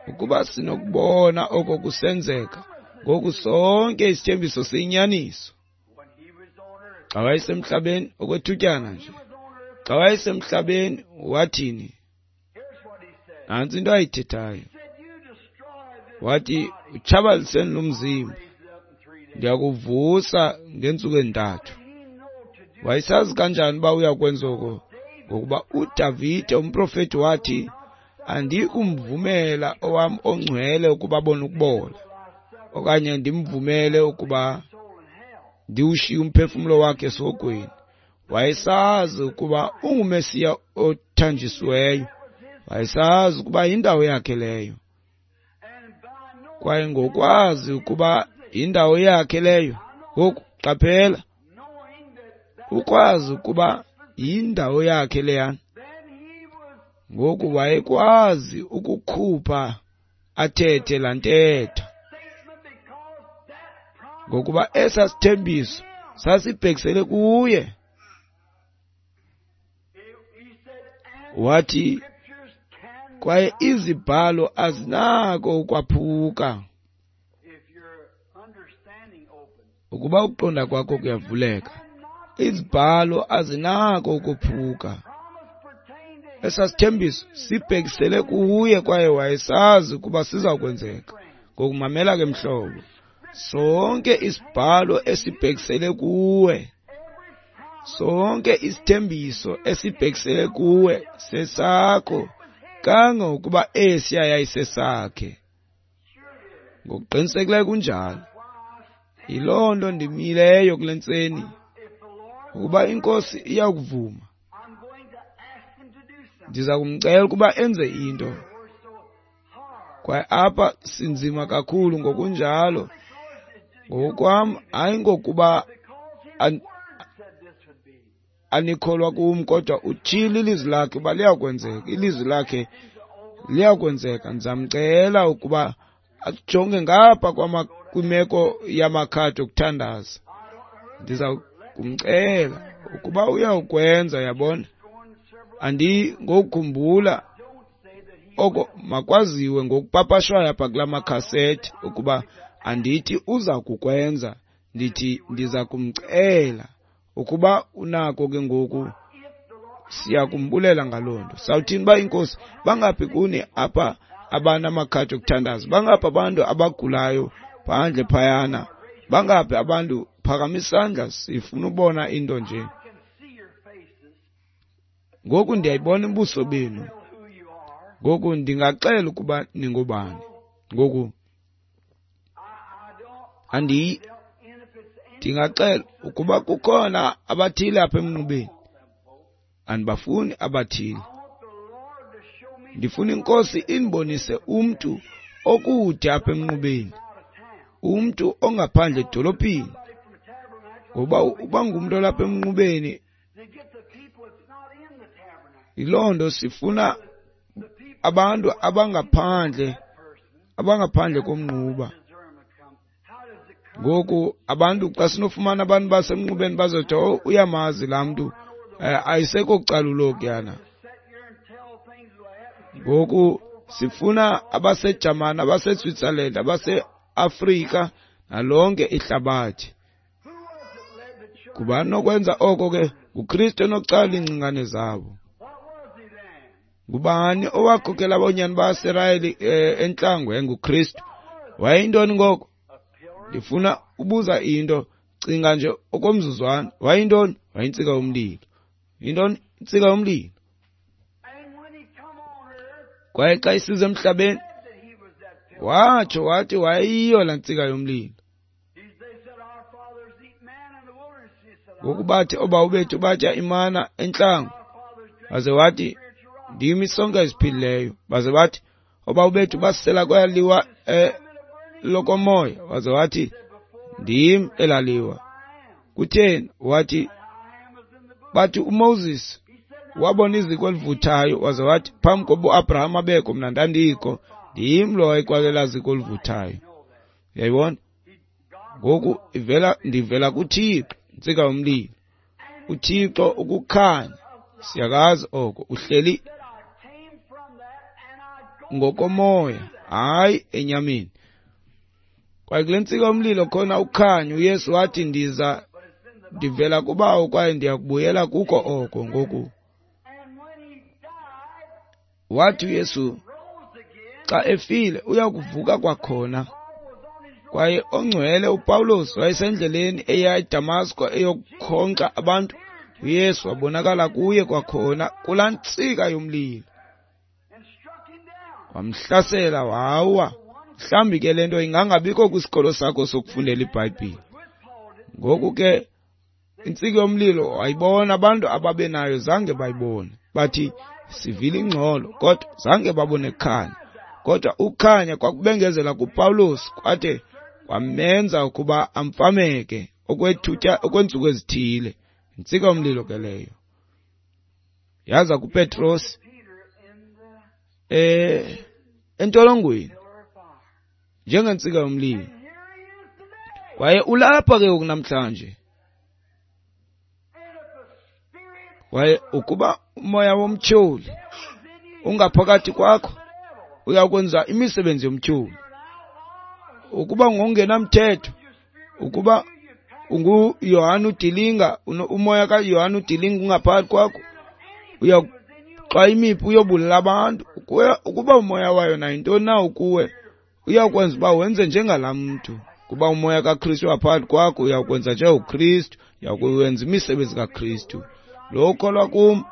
ukuba sinokubona oko kusenzeka Ngoku sonke isithembiso siyinyaniso. Xa wayesemhlabeni okwethutyana nje, xa wayesemhlabeni wathini? Nantsi into ayithethayo. Wathi, utshabaliseni lo mzimba, ndiyakuvusa ngeentsuku ezintathu. Wayesazi kanjani uba uyakwenza oko? Ngokuba uDavide umprofeti wathi, andiyikumvumela owam ongcwele ukuba abone ukubola, okanye ndimvumele ukuba ndiwushiye umphefumlo wakhe esihogweni. Wayesazi ukuba unguMesiya othanjisiweyo. Wayesazi ukuba yindawo yakhe leyo. Kwaye ngokwazi ukuba yindawo yakhe leyo, ngoku qaphela, ukwazi ukuba yindawo yakhe leyana, ngoku wayekwazi ukukhupha athethe laa ntetha, ngokuba esa sithembiso sasibhekisele kuye. Wathi, kwaye izibhalo azinako ukwaphuka. Ukuba ukuqonda kwakho kuyavuleka, izibhalo azinako ukophuka. Esa sithembiso sibhekisele kuye, kwaye wayesazi ukuba siza kwenzeka. Ngokumamela ke mhlobo, sonke isibhalo esibhekisele kuwe, sonke isithembiso esibhekisele kuwe sesakho, kangangokuba esiya yayisesakhe. Ngokuqinisekileyo kunjalo. Yiloo nto ndimileyo kule ntseni, ukuba iNkosi iyakuvuma, ndiza kumcela ukuba enze into. Kwaye apha sinzima kakhulu ngokunjalo. Ngokwam, hayi ngokuba anikholwa kum, kodwa utshilo ilizwi lakhe uba liyakwenzeka. Ilizwi lakhe liyakwenzeka. Ndizamcela ukuba ajonge ngapha kwimeko yamakhadi okuthandaza. Ndiza kumcela ukuba uyawukwenza, yabona. Andingokukhumbula oko makwaziwe ngokupapashwayo apha kula makhasethi ukuba andithi uza kukwenza, ndithi ndiza kumcela ukuba unako ke ngoku. Siyakumbulela ngaloo nto. Sawuthini uba iNkosi, bangaphi kuni apha abanamakhadi okuthandaza? Bangaphi abantu abagulayo phandle phayana? Bangaphi abantu? Phakamisa isandla, sifuna ubona into nje. Ngoku ndiyayibona ubuso benu. Ngoku ndingaxela ukuba ningobani. Ngoku ndingaxela ukuba kukhona abathile apha emnqubeni. Andibafuni abathile. Ndifuna iNkosi indibonise umntu okude apha emnqubeni, umntu ongaphandle edolophini. Ngoba uba ngumntu olapha emnqubeni, yiloo nto sifuna abantu abangaphandle, abangaphandle komnquba. Ngoku abantu xa sinofumana abantu basemnqubeni bazothi, oh, uyamazi laa mntu, ayisekho calulo kuyana. Ngoku sifuna abaseJamani, abaseSwitzerland, abaseAfrika nalonke ihlabathi. Kuba nokwenza oko ke nguKristu onocala iingcingane zabo. Ngubani owakhokela abonyana baSirayeli entlango? NguKristu. Wayeyintoni ngoko? Ndifuna ubuza into, cinga nje okomzuzwana. Wayeyintoni? Wayintsika yomlilo. Yintoni intsika yomlilo? Kwaye xa isiza emhlabeni, watsho wathi wayeyiyo laa ntsika yomlilo. Ngoku bathi oobawo bethu batya imana entlango, baze wathi ndim isonka esiphilileyo. Baze bathi oobawo bethu basela kwelaliwa lokomoya, waze wathi ndim elaliwa. Kutheni? Wathi, bathi uMoses wabona iziko elivuthayo, waze wathi phambi koba uAbraham abekho mna ndandikho, ndim lo wayekwalela ziko elivuthayo. Uyayibona? Ngoku ndivela kuThixo, intsika yomlilo. uThixo ukukhanya, siyakazi oko, uhleli ngokomoya, hayi enyameni. Kwaye kule ntsika yomlilo khona ukhanyo. UYesu wathi, ndiza ndivela kuBawo kwaye ndiyakubuyela kuko oko. Ngoku wathi uYesu xa efile uyakuvuka kwakhona. Kwaye ongcwele uPawulos wayesendleleni eya eDamasko eyokukhonkxa abantu. uYesu wabonakala kuye kwakhona kulaa ntsika yomlilo, wamhlasela wawa. Mhlawumbi ke le nto ingangabikho kwisikolo sakho sokufundela iBhayibhile. Ngoku ke intsika yomlilo wayibona, abantu ababenayo zange bayibone. Bathi sivile ingxolo, kodwa zange babone khanya. Kodwa ukhanya kwakubengezela kuPawulos kwade kwamenza ukuba amfameke okweentsuku ezithile. Intsika yomlilo ke leyo yaza kuPetros entolongweni njengentsika yomlilo. Kwaye ulapha ke ngoku namhlanje. Kwaye ukuba umoya womtyholi ungaphakathi kwakho, uyakwenza imisebenzi yomtyholi. Ukuba ngongenamthetho, ukuba unguYohane uDilinga, umoya kaYohane uDilinga ungaphakathi kwakho, uyakuxwaya imiphu uyobulala abantu. Ukuba umoya wayo nayintoni na ukuwe, uyakwenza uba wenze njengalaa mntu. Kuba umoya kaKristu ungaphakathi kwakho, uyakwenza njengoKristu, uyakuwenza imisebenzi kaKristu. Lo ukholwa kum,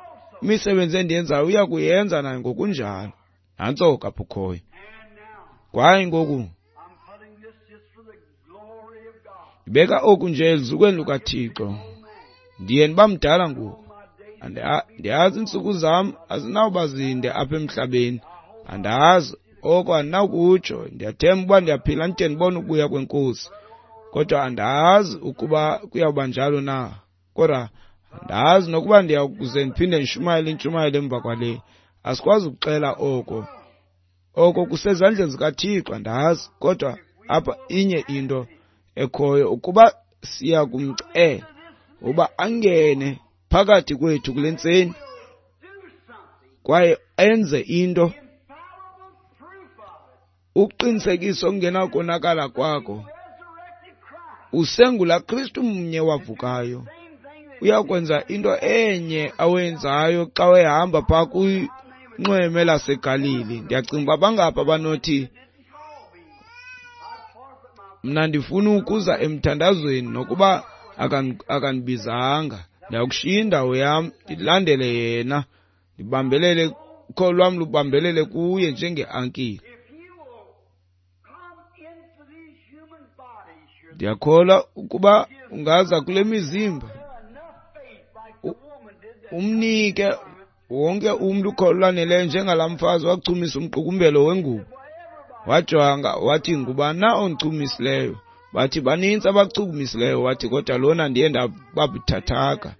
imisebenzi endiyenzayo uyakuyenza naye ngokunjalo. Nantso ke apho ukhoyo. Kwaye ngoku ndibeka oku nje eluzukweni lukaThixo. Ndiye ndiba mdala ngoku. Ndiyazi iintsuku zam azinawuba zinde apha emhlabeni. Andazi oko, andinakutsho. Ndiyathemba uba ndiyaphila ndide ndibone ukubuya kweNkosi, kodwa andazi ukuba kuyawuba njalo na. Kodwa andazi nokuba ndiyakuze ndiphinde ndishumayele intshumayelo emva kwale. Asikwazi ukuxela oko. Oko kusezandleni zikaThixo, andazi. Kodwa apha inye into ekhoyo, ukuba siya kumcela uba angene phakathi kwethu kule ntseni kwaye enze into, uqinisekiso okungenakonakala kwakho, usengula Kristu mnye wavukayo. Uyakwenza into enye awenzayo xa wehamba phaa kwinxweme laseGalili. Ndiyacinga uba bangaphi abanothi, mna ndifuna ukuza emthandazweni nokuba akandibizanga, ndiyakushiya indawo yam ndilandele yena, ndibambelele, ukholo lwam lubambelele kuye njengeankile. Ndiyakholwa ukuba ungaza kule mizimba umnike wonke umntu ukholo lwaneleyo njengalaa mfazi wachumisa umqukumbelo wengubo. Wajonga wathi, ngubani na ondichumisileyo? Bathi banintsi abachukumisileyo. Wathi, kodwa lona ndiye ndababuthathaka.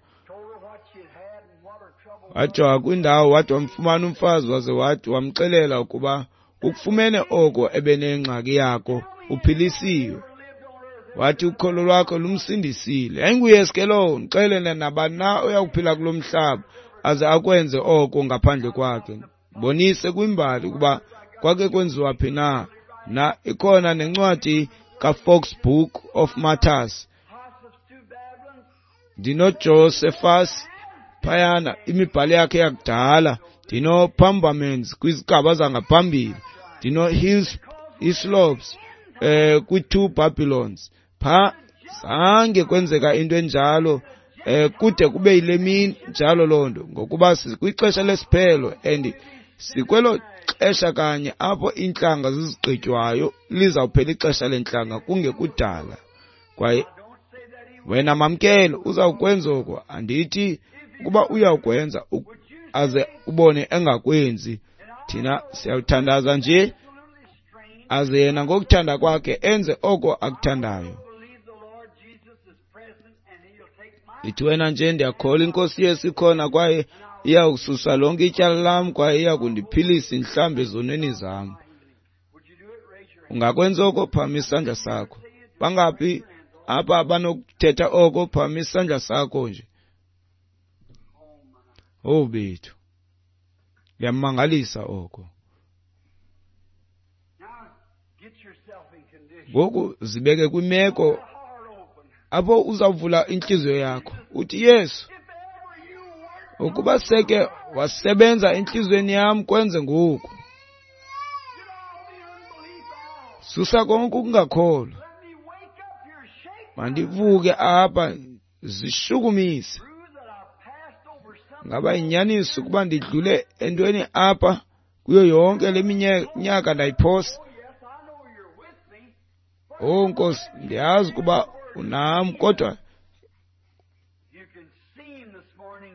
Wajonga kwindawo, wathi wamfumana umfazi, waze wathi wamxelela ukuba ukufumene oko ebenengxaki yako, uphilisiwe. Wathi ukholo lwakho lumsindisile. YayinguYesu ke lowo. Ndixelele nabani na oyakuphila kulo mhlaba aze akwenze oko ngaphandle kwakhe. Bonise kwimbali ukuba kwake kwenziwa phi na. Na ikhona nencwadi kaFox Book of Martyrs. NdinoJosephus phayana, imibhalo yakhe yakudala. NdinoPambamens kwizigaba zangaphambili. NdinoHislops kwi-2 Babylons. Pha zange kwenzeka into enjalo kude kube yile mini njalo loo nto, ngokuba sikwixesha lesiphelo and sikwelo xesha kanye apho iintlanga zizigqitywayo. Lizawuphela ixesha lentlanga kungekudala. Kwaye wena mamkelo uzawukwenza oko. Andithi ukuba uyawukwenza aze ubone engakwenzi. Thina siyawuthandaza nje aze yena ngokuthanda kwakhe enze oko akuthandayo. Ithi wena nje, ndiyakholwa iNkosi Yesu ikhona kwaye iyakususa lonke ityala lam kwaye iyakundiphilisa indihlambe ezonweni zam. Ungakwenza oko? Phakamisa isandla sakho. Bangaphi apha abanokuthetha oko? Phakamisa isandla sakho nje. Oh bethu, kuyamangalisa oko. Ngoku zibeke kwimeko apho uzawuvula intliziyo yakho uthi, Yesu, ukuba seke wasebenza entliziyweni yam, kwenze ngoku. Susa konke ukungakholwa. Mandivuke apha, zishukumise. Ngaba inyaniso ukuba ndidlule entweni apha kuyo yonke le minyaka ndayiphosa? Oh Nkosi, ndiyazi ukuba unam, kodwa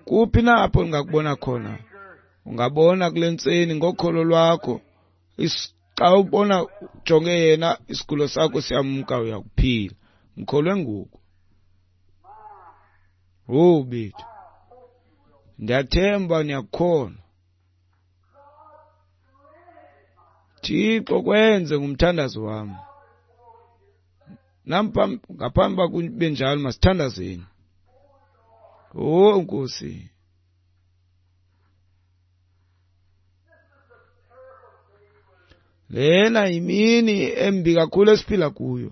kuphi na apho ndingakubona khona? Ungabona kule ntseni ngokholo lwakho. Xa ubona ujonge yena, isigulo sakho siyamka, uyakuphila. Mkholwe ngoku. Oh bethu, ndiyathemba niyakukholwa. Thixo, kwenze ngumthandazo wam. Ngaphambi uba kube njalo, masithandazeni. Oh Nkosi, lena yimini embi kakhulu esiphila kuyo.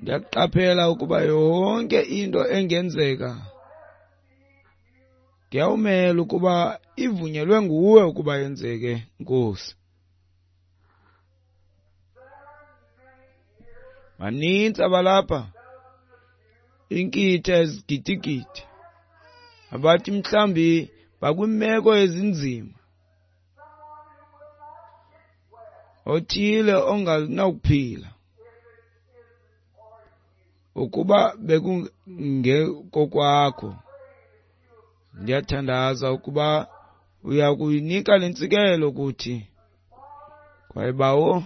Ndiyaqaphela ukuba yonke into engenzeka ndiyawumela ukuba ivunyelwe nguwe ukuba yenzeke, Nkosi. Banintsi abalapha, inkitha ezigidigidi, abathi mhlawumbi bakwimeko ezinzima, othile onganawukuphila ukuba bekungekokwakho. Ndiyathandaza ukuba uya kuyinika le ntsikelelo kuthi. Kwaye Bawo,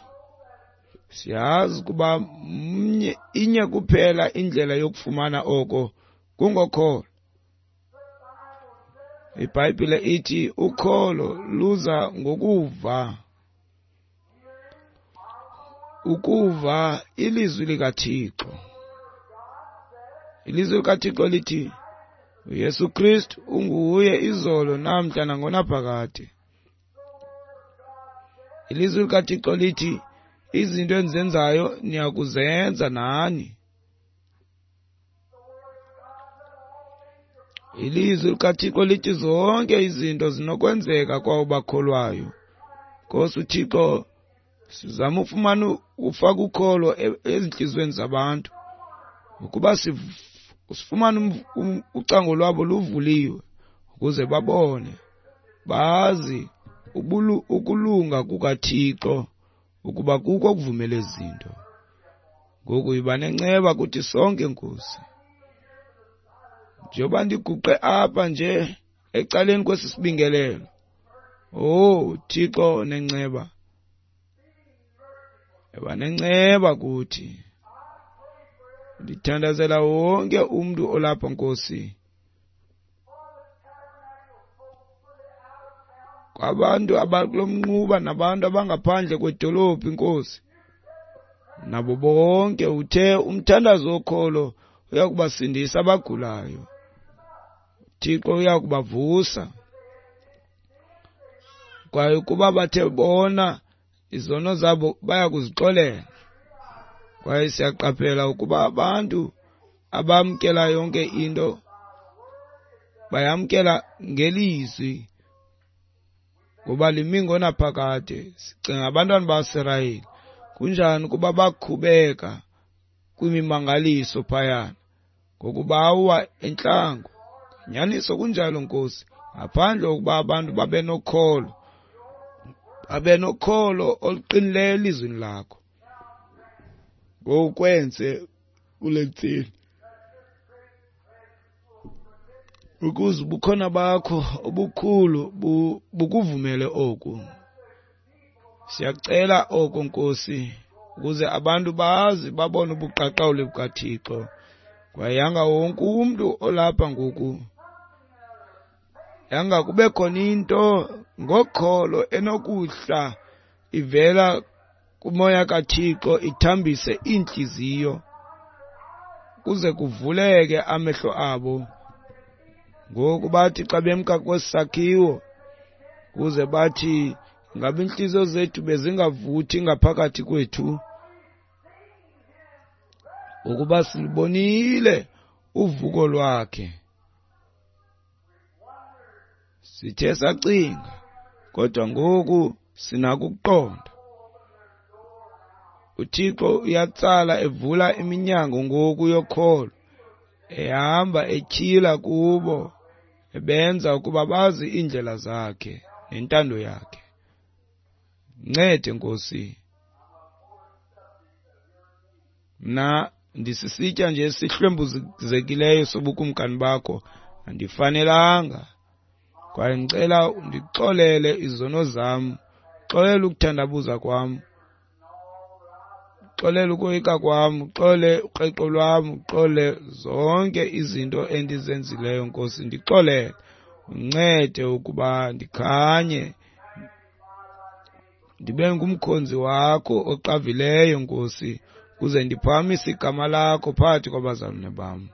siyazi ukuba inye kuphela indlela yokufumana oko, kungokholo. IBhayibhile ithi ukholo luza ngokuva, ukuva ilizwi likaThixo. Ilizwi likaThixo lithi uYesu Kristu unguye izolo, namhla nangonaphakade. Ilizwi likaThixo lithi izinto endizenzayo niyakuzenza nani. Ilizwi likaThixo lithi zonke izinto zinokwenzeka kwabo bakholwayo. Nkosi uThixo, sizama ufumana ufaka ukholo ezintliziyweni zabantu, ukuba sifumane ucango lwabo luvuliwe ukuze babone, bazi ukulunga kukaThixo, ukuba kukho okuvumela ezi zinto. Ngoku yiba nenceba kuthi sonke, Nkosi. Njengoba ndiguqe apha nje ecaleni kwesi sibingelelo, oh Thixo nenceba, yiba nenceba kuthi. Ndithandazela wonke umntu olapha, Nkosi, kwabantu abakulomnquba nabantu abangaphandle kwedolophu, Nkosi, nabo bonke. Uthe umthandazo wokholo uyakubasindisa abagulayo, Thixo uyakubavusa. Kwaye ukuba bathe bona izono zabo bayakuzixolela. Kwaye siyaqaphela ukuba abantu abamkela yonke into bayamkela ngelizwi, ngoba limi ngonaphakade. Sicinga abantwana baSirayeli, kunjani ukuba bakhubeka kwimimangaliso phayana ngokubawa entlango. Nyaniso kunjalo, Nkosi, ngaphandle kokuba abantu babe nokholo oluqinileyo elizwini lakho. Ngokwenze kule ntseni ukuze ubukhona bakho obukhulu bukuvumele oku. Siyacela oko, Nkosi, ukuze abantu bazi babone ubuqaqawuli bukaThixo. Kwaye yanga wonke umntu olapha ngoku, yanga kube khona into ngokholo enokuhla ivela kumoya kaThixo ithambise iintliziyo kuze kuvuleke amehlo abo. Ngoku bathi xa bemka kwesi sakhiwo, kuze bathi Ngabe iintliziyo zethu bezingavuthi ngaphakathi kwethu ukuba silubonile uvuko lwakhe? Sithe sacinga, kodwa ngoku sinako ukuqonda. UThixo uyatsala evula iminyango ngoku yokholo, ehamba etyhila kubo, ebenza ukuba bazi iindlela zakhe nentando yakhe. Ncede Nkosi, mna ndisisitya nje esihlwempuzekileyo sobukumkani bakho, andifanelanga. Kwaye ndicela undixolele izono zam, xolele ukuthandabuza kwam, xolele ukoyika kwam, uxolele ukreqo lwam, uxolele zonke izinto endizenzileyo Nkosi, ndixolele. Uncede ukuba ndikhanye, ndibe ngumkhonzi wakho oqavileyo Nkosi, ukuze ndiphakamise igama lakho phakathi kwabazalwane bam.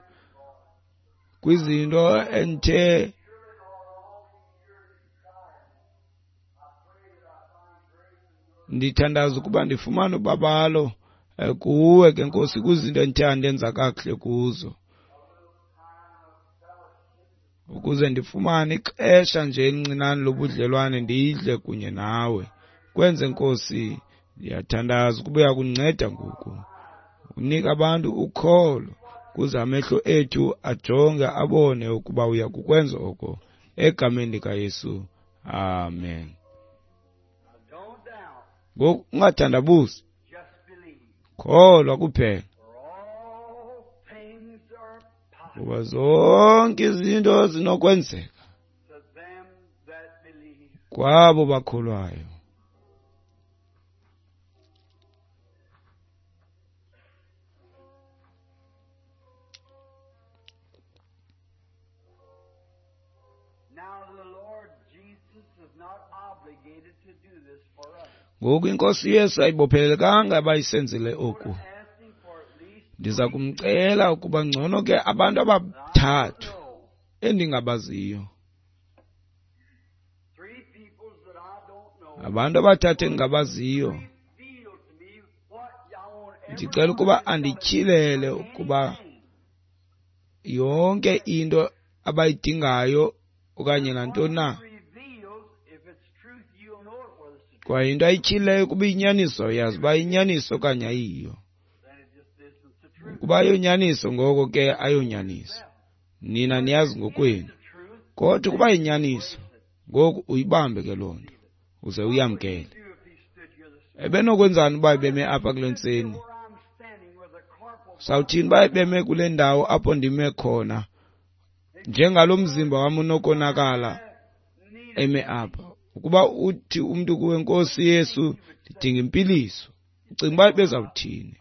Kwizinto endithe ndithandaza ukuba ndifumane ubabalo kuwe ke Nkosi, kwizinto endithe andenza kakuhle kuzo, ukuze ndifumane ixesha nje elincinane lobudlelwane ndidle kunye nawe. Kwenze Nkosi, ndiyathandaza ukuba uyakundinceda ngoku, unika abantu ukholo ukuze amehlo ethu ajonge abone ukuba uya kukwenza oko, egameni likaYesu, amen. Ngoku ungathandabuzi, kholwa kuphela, kuba zonke izinto zinokwenzeka kwabo bakholwayo. Ngoku iNkosi Yesu ayibophelelekanga abayisenzele oku. Ndiza kumcela ukuba ngcono ke abantu abathathu endingabaziyo, abantu abathathu endingabaziyo, ndicela ukuba andityhilele ukuba yonke into abayidingayo okanye nantoni na. Kwaye into ayityhileyo kuba iyinyaniso, yazi uba iyinyaniso okanye ayiyo. Ukuba ayonyaniso, ngoko ke ayonyaniso. Nina niyazi ngokwenu. Kodwa ukuba yinyaniso, ngoku uyibambe ke loo nto uze uyamkele. Ebenokwenzani uba ebeme apha kule ntseni? Sawuthini uba ebeme kule ndawo apho ndime khona, njengalo mzimba wam unokonakala eme apha? Ukuba uthi umntu kuwe, Nkosi Yesu, ndidinga impiliso, ucinga uba ebezawuthini?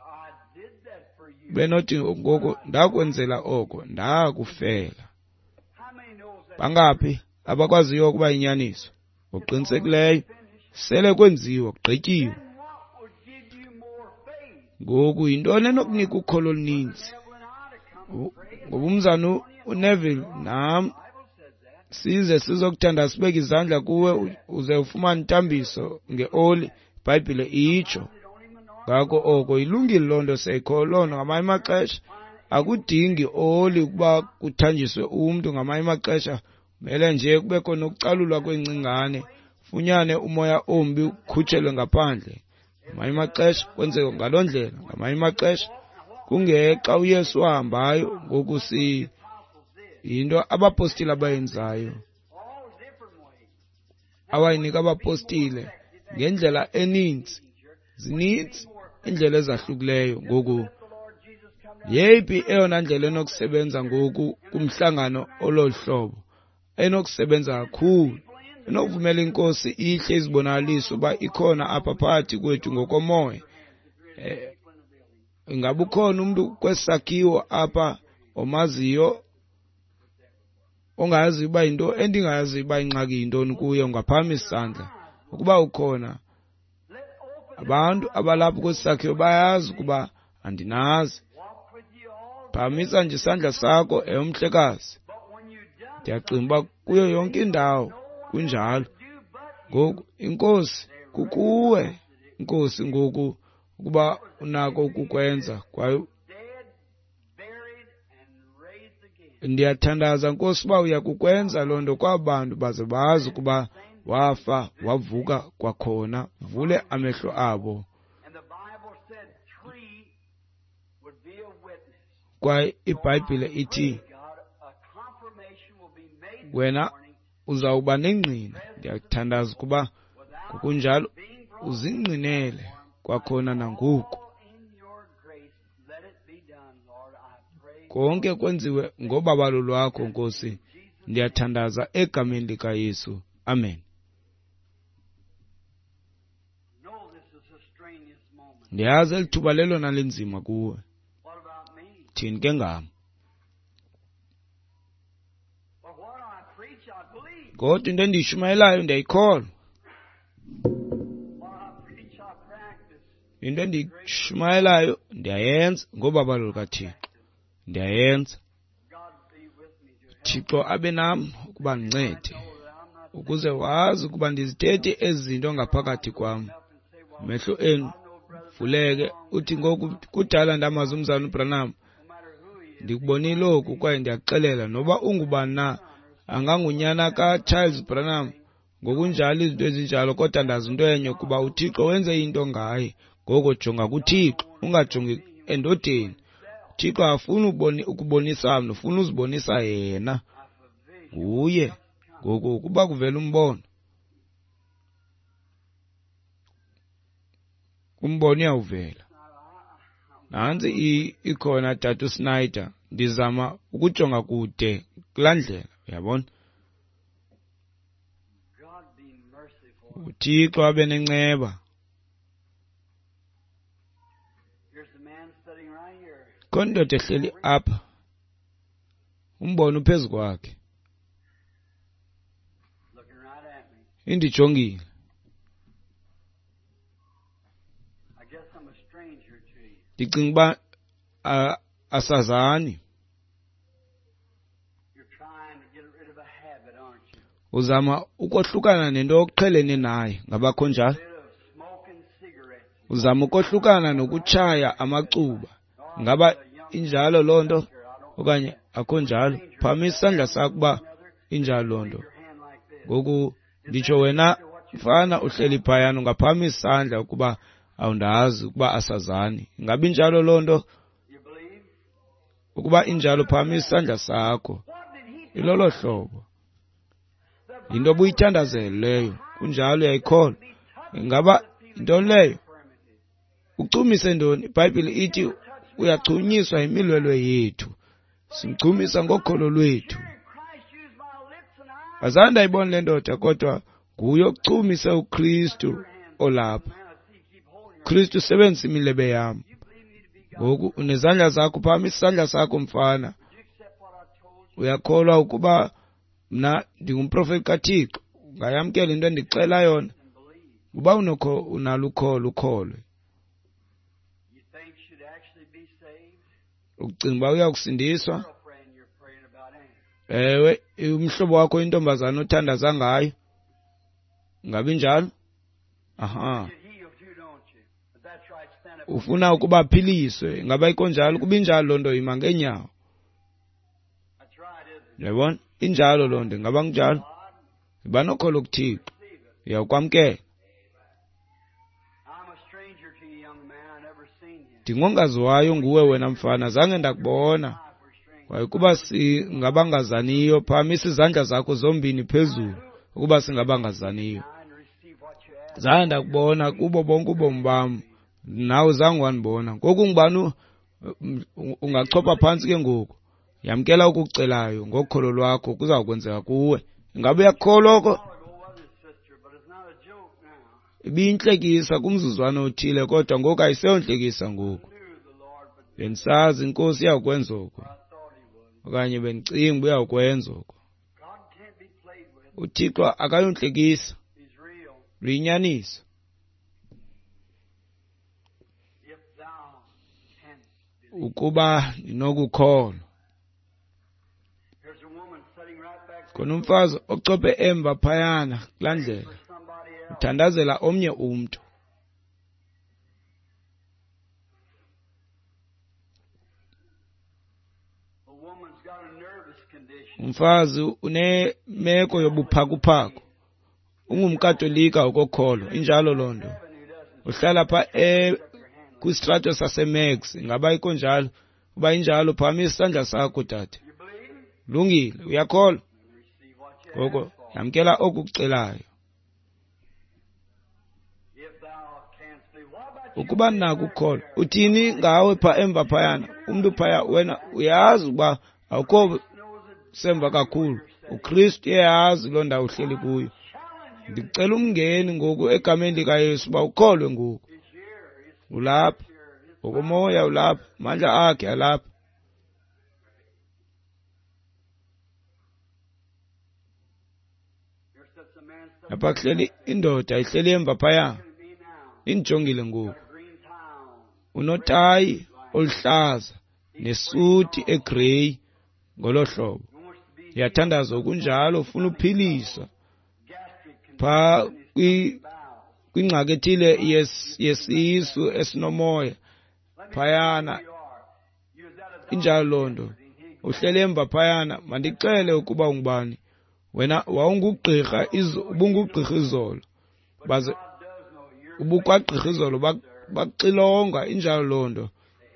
Benothi ngoko ndakwenzela oko, ndakufela. Bangaphi abakwaziyo ukuba yinyaniso? Ngokuqinisekileyo sele kwenziwa, kugqityiwe. Ngoku yintoni enokunika ukholo oluninzi? Ngoba umzana uNeville nam size sizokuthandaza, sibeke izandla kuwe uze ufumane intambiso ngeoli, iBhayibhile itsho. Ngako oko ilungile loo nto, siyayikholwa loo nto. Ngamanye amaxesha akudingi oli ukuba kuthanjiswe umntu, ngamanye amaxesha kumele nje kubekho nokucalulwa kwengcingane, funyane umoya ombi ukhutshelwe ngaphandle. Ngamanye amaxesha kwenzeka ngaloo ndlela, ngamanye amaxesha kungexa uYesu wahambayo. Ngoku yinto abapostile abayenzayo, awayinika abapostile ngendlela eninzi. Zininzi iindlela ezahlukileyo. Ngoku yeyiphi eyona ndlela enokusebenza ngoku kumhlangano ololu hlobo, enokusebenza kakhulu, enokuvumela iNkosi ihle izibonakaliso uba ikhona apha phakathi kwethu ngokomoya? Ingaba ukhona umntu kwesakhiwo apha omaziyo ongayaziyo uba yinto endingayaziyo uba ingxaki yintoni kuye? Ungaphakamisa isandla ukuba ukhona. Abantu abalapha kwesi sakhiwo bayazi ukuba andinazi. Phakamisa nje isandla sakho, umhlekazi. Ndiyacinga uba kuyo yonke indawo kunjalo. Ngoku inkosi kukuwe, Nkosi, ngoku ukuba unako ukukwenza. Kwaye ndiyathandaza, Nkosi, uba uya kukwenza loo nto kwaba bantu baze bazi ukuba wafa wavuka kwakhona. Vule amehlo abo. Kwaye iBhayibhile ithi wena uzawuba nengqina. Ndiyathandaza ukuba ngokunjalo uzingqinele kwakhona nangoku. Konke kwenziwe ngobabalo lwakho, Nkosi. Ndiyathandaza egameni likaYesu. Amen. Ndiyazi eli thuba lelona linzima kuwe. Thini ke ngam? Kodwa into endiyishumayelayo ndiyayikholwa. Into endiyishumayelayo ndiyayenza ngobabalo lukaThixo. Ndiyayenza. Thixo abe nam ukuba ndincede, ukuze wazi ukuba ndizithethe ezi zinto ngaphakathi kwam. Amehlo enu vuleke. Uthi ngoku kudala ndamazi umzalwana uBranham, ndikubonile oku kwaye ndiyakuxelela, noba ungubani na, angangunyana kaCharles Branham, ngokunjalo izinto ezinjalo, kodwa ndazi into enye, kuba uThixo wenze into ngaye. Ngoko jonga kuThixo, ungajongi endodeni. uThixo afuna ukubonisa mna, ufuna uzibonisa yena. Nguye. Ngoku ukuba kuvela umbono, umbono uyawuvela. Nantsi ikhona, Tata uSnyder. Ndizama ukujonga kude kulaa ndlela, uyabona. uThixo abe nenceba. Khona indoda ehleli apha, umbono uphezu kwakhe, indijongile. Ndicinga uba asazani. Uzama ukohlukana nento oqhelene nayo, ngabakho njalo? Uzama ukohlukana nokutshaya amacuba. Ngaba injalo loo nto okanye akho njalo? Phakamisa isandla sakho uba injalo loo nto. Ngoku nditsho wena mfana uhleli phayana, ungaphakamisa isandla ukuba awundazi ukuba asazani. Ingaba injalo loo nto? Ukuba injalo, phakamisa isandla sakho. Ilolo hlobo. Yinto obuyithandazele leyo. Kunjalo, uyayikholwa. Ingaba yintoni leyo? Uchumise ntoni? IBhayibhile ithi uyachunyiswa yimilwelwe yethu. Simchumisa ngokholo lwethu. Azange ndayibona le ndoda, kodwa nguye ochumise uKristu olapha. Kristu usebenzisa imilebe yam. Ngoku unezandla zakho, phakamisa isandla sakho mfana. Uyakholwa ukuba mna ndingumprofeti kaThixo? Ungayamkela into endikuxela yona? Uba unalo ukholo, ukholwe. Ucinga uba uyakusindiswa? Ewe, umhlobo wakho intombazana othandaza ngayo. Ngabe injalo? Aha. Ufuna ukuba aphiliswe. Ingaba ikonjalo? Kuba injalo loo nto, ima ngeenyawo. Uyabona? Injalo loo nto. Ingaba kunjalo? Yiba nokholo kuThixo, uyawukwamkela. Ndingongaziwayo nguwe wena mfana, zange ndakubona. Kwaye kuba singabangazaniyo, phakamisa izandla zakho zombini phezulu ukuba singabangazaniyo. Zange ndakubona kubo bonke ubomi bam, nawe zange wandibona. Ngoku ngubani ungachopha phantsi ke ngoku? Yamkela okucelayo ngokholo lwakho, kuza kwenzeka kuwe. Ingabe uyakholwa oko? Ibiyintlekisa kumzuzwana othile, kodwa ngoku ayiseyontlekisa ngoku. Bendisazi iNkosi iyawukwenza oko, okanye bendicinga uba uyawukwenza oko. uThixo akayontlekisa, luyinyaniso. Ukuba ndinokukholwa. Khona umfazi ochophe emva phayana kulaa ndlela. Uthandazela omnye umntu. Umfazi unemeko yobuphakuphaku. Ungumkatolika okokholo, injalo loo nto. Uhlala pha kwistrato saseMax, ingaba ikonjalo? Uba injalo, phakamisa isandla sakho tata. Lungile, uyakholwa? Ngoko yamkela oku kucelayo. Ukuba nako ukukholwa, uthini ngawe pha emva phayana? Umntu phaya, wena uyazi ukuba awukho semva kakhulu. uKristu uyayazi loo ndawo uhleli kuyo. Ndicela umngeni ngoku egameni likaYesu uba ukholwe ngoku. Ulapha ngokomoya, ulapha, amandla akhe alapha. Apha kuhleli indoda ihleli emva phaya, indijongile ngoku. Unotayi oluhlaza nesuti egreyi ngolo hlobo. Uyathandaza okunjalo, ufuna uphilisa pha kwingxaki ethile yesisu esinomoya phayana. Injalo loo nto. Uhlele emva phayana, mandixele ukuba ungubani. Wena wawungugqirha, ubungugqirha izolo, baze ubukwagqirha izolo bakuxilonga. Injalo loo nto.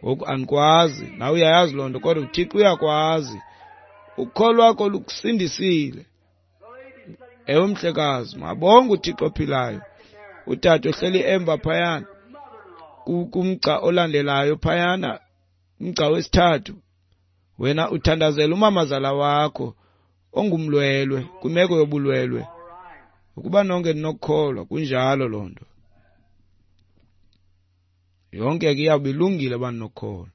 Ngoku andikwazi, nawe uyayazi loo nto, kodwa uThixo uyakwazi. Ukholo lwakho lukusindisile. Ewe mhlekazi, mabonge uThixo ophilayo. Utata ohleli emva phayana kumgca olandelayo phayana, umgca wesithathu, wena uthandazela umamazala wakho ongumlwelwe, kwimeko yobulwelwe. Ukuba nonke ninokukholwa, kunjalo loo nto. Yonke ke iyawube ilungile uba ninokukholwa.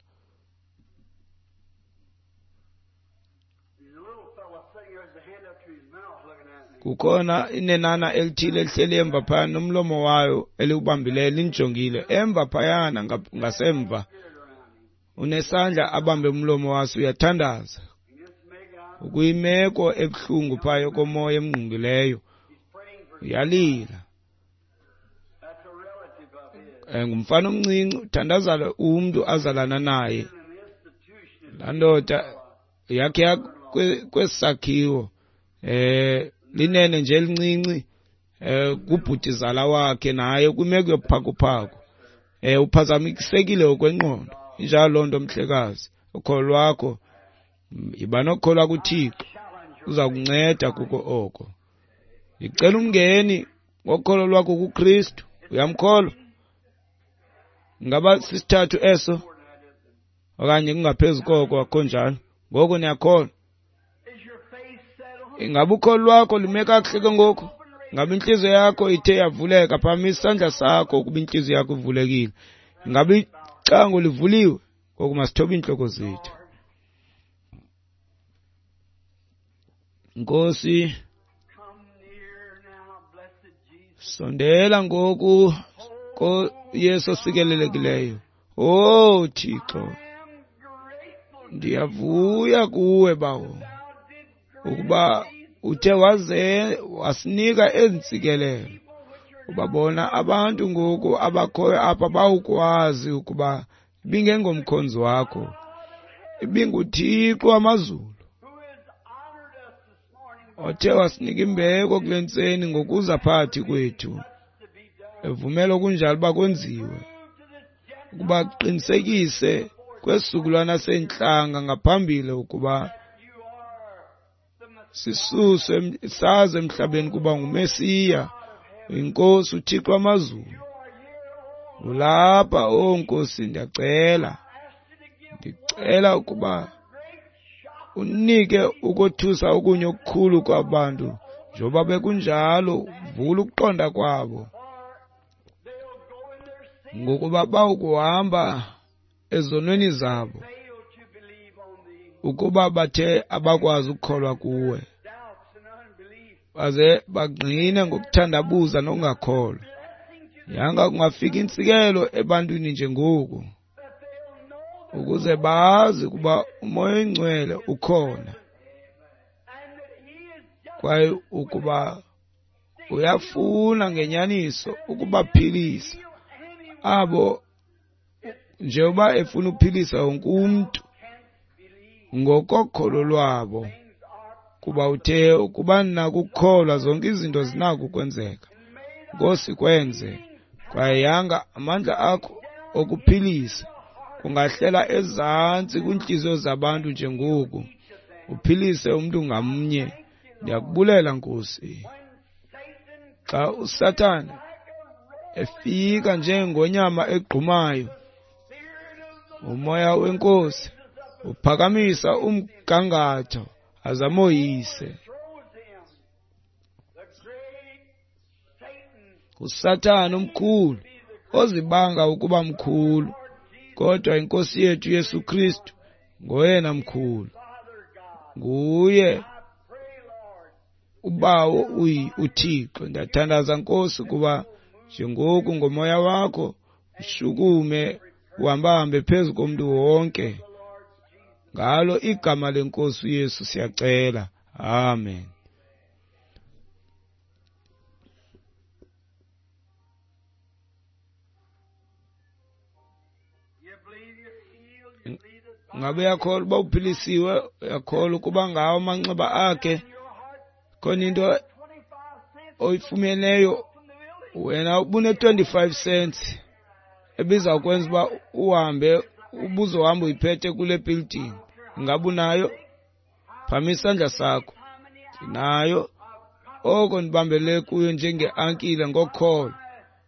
Kukhona inenana elithile elihleli emva phayana nomlomo wayo eliwubambileyo lindijongile emva phayana ngasemva. Unesandla abambe umlomo waso, uyathandaza. Ukuyimeko ebuhlungu phaya yokomoya emngqungileyo, uyalila. Ngumfana omncinci, uthandazela umntu azalana naye. Laa ndoda yakhe kwesakhiwo, linene nje elincinci, kubhutizala wakhe naye kwimeko yobuphakuphaku. Uphazamisekile ngokwengqondo. Injalo loo nto mhlekazi. Ukholo lwakho, yiba nokukholwa kuThixo, uza kunceda kuko oko. Ndicela umngeni ngokholo lwakho kuKristu. Uyamkholwa? Ingaba sisithathu eso okanye kungaphezu koko? Akho njalo. Ngoku niyakholwa? Ingaba ukholo lwakho lume kakuhle ke ngoku? Ingaba intliziyo yakho ithe yavuleka? Phakamisa isandla sakho ukuba intliziyo yakho ivulekile. Ingaba icango livuliwe? Ngoku masithobe iintloko zethu. Nkosi, sondela ngoku Yesu osikelelekileyo. Oh Thixo, ndiyavuya kuwe bawo, ukuba uthe waze wasinika ezi ntsikelelo. Ubabona abantu ngoku abakhoyo apha bawukwazi ukuba ibingengomkhonzi wakho, ibinguThixo wamazulu othe wasinika imbeko kule ntseni ngokuza phakathi kwethu, evumela okunjalo uba kwenziwe, ukuba kuqinisekise kwesizukulwana seentlanga ngaphambili ukuba sisuswe sazi emhlabeni kuba nguMesiya, iNkosi uThixo wamazulu. Ulapha, o Nkosi, ndiyacela, ndicela ukuba unike ukothusa okunye okukhulu kwabantu, njengoba bekunjalo, vula ukuqonda kwabo, ngokuba bawukuhamba ezonweni zabo, ukuba bathe abakwazi ukukholwa kuwe, baze bagqine ngokuthandabuza nokungakholwa. Yanga kungafika intsikelo ebantwini njengoku, ukuze bazi ukuba uMoya oyiNgcwele ukhona, kwaye ukuba Uyafuna ngenyaniso ukubaphilisa abo njengoba efuna ukuphilisa wonke umntu ngokokholo lwabo, kuba uthe ukuba nakukholwa zonke izinto zinako ukwenzeka. Nkosi, kwenze. Kwaye yanga amandla akho okuphilisa kungahlela ezantsi kwiintliziyo zabantu njengoku, uphilise umntu ngamnye. Ndiyakubulela, Nkosi. Xa uSathana efika njengonyama egqumayo, umoya weNkosi uphakamisa umgangatho azamoyise. USathana omkhulu ozibanga ukuba mkhulu, kodwa iNkosi yethu Yesu Kristu ngoyena mkhulu. Nguye uBawo uThixo. Ndiyathandaza, Nkosi, kuba njengoku ngomoya wakho ushukume uhambahambe phezu komntu wonke. Ngalo igama leNkosi uYesu siyacela. Amen. Ngabe uyakholwa uba uphilisiwe? Uyakholwa ukuba ngawo amanxeba akhe khona into oyifumeneyo? Wena ubune-25 cents ebizawukwenza uba uhambe, ubuzohamba uyiphethe kule building. Ngabe unayo? Phamisa isandla sakho. Ndinayo. Oko ndibambele kuyo njengeankile ngokholo.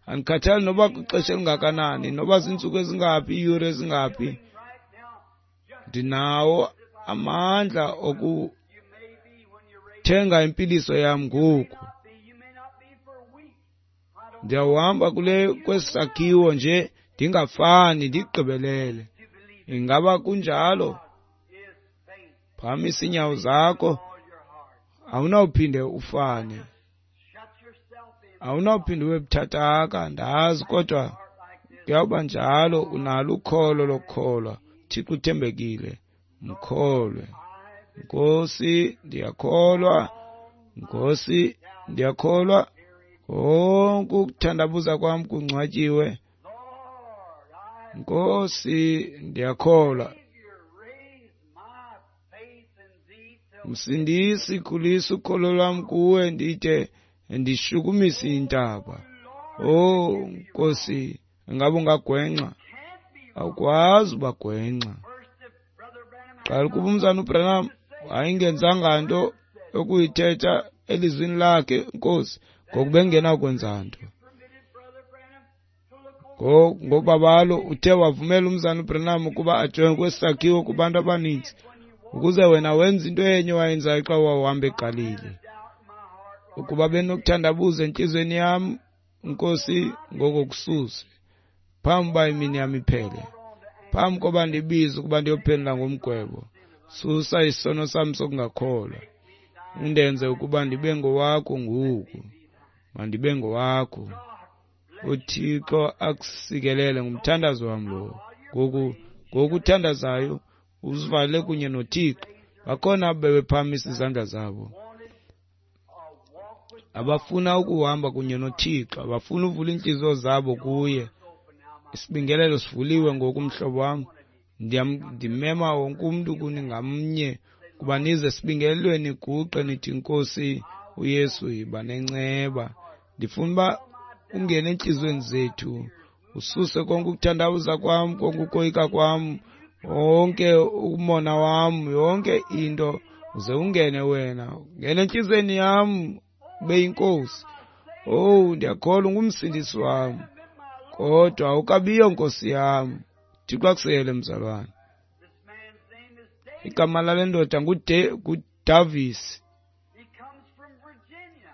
Andikhathali noba kwixesha elingakanani, noba ziintsuku ezingaphi, iiyure ezingaphi, ndinawo amandla okuthenga impiliso yam ngoku. Ndiyawuhamba kule kwesakhiwo nje ndingafani, ndigqibelele. Ingaba kunjalo? Phakamisa iinyawo zakho. Awunawuphinde ufane, awunawuphinde ube buthathaka, ndazi, kodwa kuyawuba njalo. Unalo ukholo lokukholwa. Thixo uthembekile, mkholwe. Nkosi, ndiyakholwa. Nkosi, ndiyakholwa. Konke ukuthandabuza kwam kungcwatyiwe. Nkosi, ndiyakholwa. Msindisi, khulisa ukholo lwam kuwe, ndide ndishukumise intaba. Oh Nkosi, ngabe ungagwenxa? Awukwazi ubagwenxa. Qala ukuba umzana uBranham wayengenzanga nto yokuyithetha elizwini lakhe, Nkosi, ngokuba engenakwenza nto. Ngobabalo uthe wavumela umzana uBranham ukuba ajonge kwesakhiwo kubantu abaninzi, ukuze wena wenze into enye wayenzayo xa wawuhamba eGalili. Ukuba benokuthandabuza entliziyweni yam, Nkosi, ngoko kususe phambi uba imini yam iphele, phambi koba ndibize ukuba ndiyophendula ngomgwebo. Susa isono sam sokungakholwa, undenze ukuba ndibe ngowakho ngoku. Mandibe ngowakho. uThixo akusikelele. Ngumthandazo wam lowo. Ngoku ngokuthandazayo uzivale kunye noThixo. Bakhona abo bebephakamisa izandla zabo, abafuna ukuhamba kunye noThixo, abafuna uvula iintliziyo zabo kuye. Isibingelelo sivuliwe ngoku, mhlobo wam. Ndimema wonke umntu kuni ngamnye kuba nize esibingelelweni, niguqe nithi, Nkosi uYesu, yiba nenceba. Ndifuna uba ungene entliziyweni zethu, ususe konke ukuthandabuza kwam, konke ukoyika kwam, wonke umona wam, yonke into, uze ungene wena. Ungene entliziyweni yam, ube yinkosi. Oh, ndiyakholwa ungumsindisi wam, kodwa awukabiyo nkosi yam. Thixo akusele, mzalwane. Igama lale ndoda nguDavis,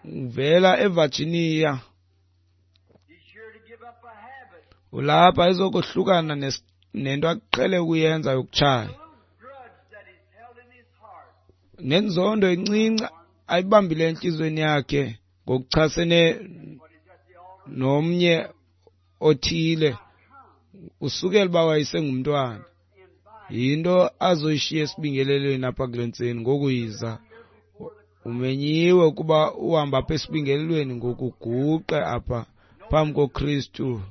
uvela eVirginia. Ulapha ezokohlukana nento aqhele ukuyenza yokutshaya, nenzondo encinci ayibambile entliziyweni yakhe ngokuchasene nomnye othile usukela uba wayesengumntwana. Yinto azoyishiya esibingelelweni apha kule ntseni. Ngoku yiza Umenyiwe ukuba uhambe apha esibingelelweni ngokuguqe apha phambi koKristu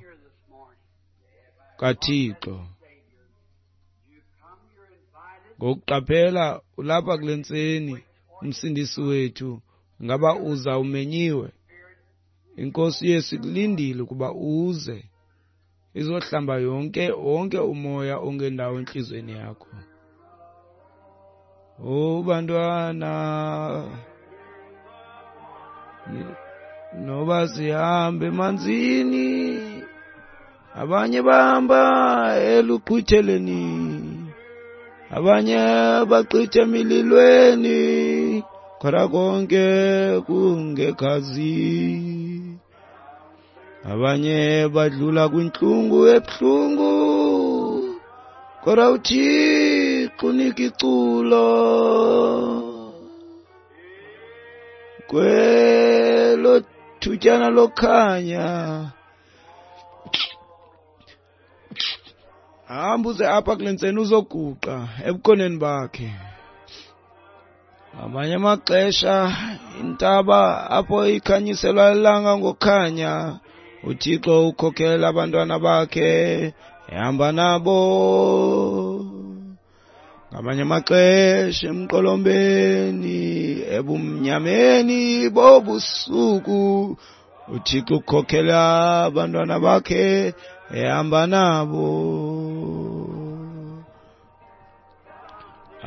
kaThixo. Ngokuqaphela ulapha kule ntseni uMsindisi wethu, ngaba uza umenyiwe? INkosi Yesu ikulindile ukuba uze izohlamba wonke umoya ongendawo entliziyweni yakho. Oh bantwana, noba sihambe emanzini, abanye bahamba eluqhwitheleni, abanye baqhithe emililweni, kodwa konke kungegazi. Abanye badlula kwintlungu ebuhlungu, kodwa uThixo unika iculo. Kwelo thutyana lokhanya, hamba uze apha kule ntseni uzoguqa ebukhoneni bakhe. Ngamanye amaxesha intaba apho ikhanyiselwa ilanga ngokhanya, uThixo ukhokhela abantwana bakhe ehamba nabo. Ngamanye amaxesha emqolombeni, ebumnyameni bobusuku, uThixo ukhokhela abantwana bakhe ehamba nabo.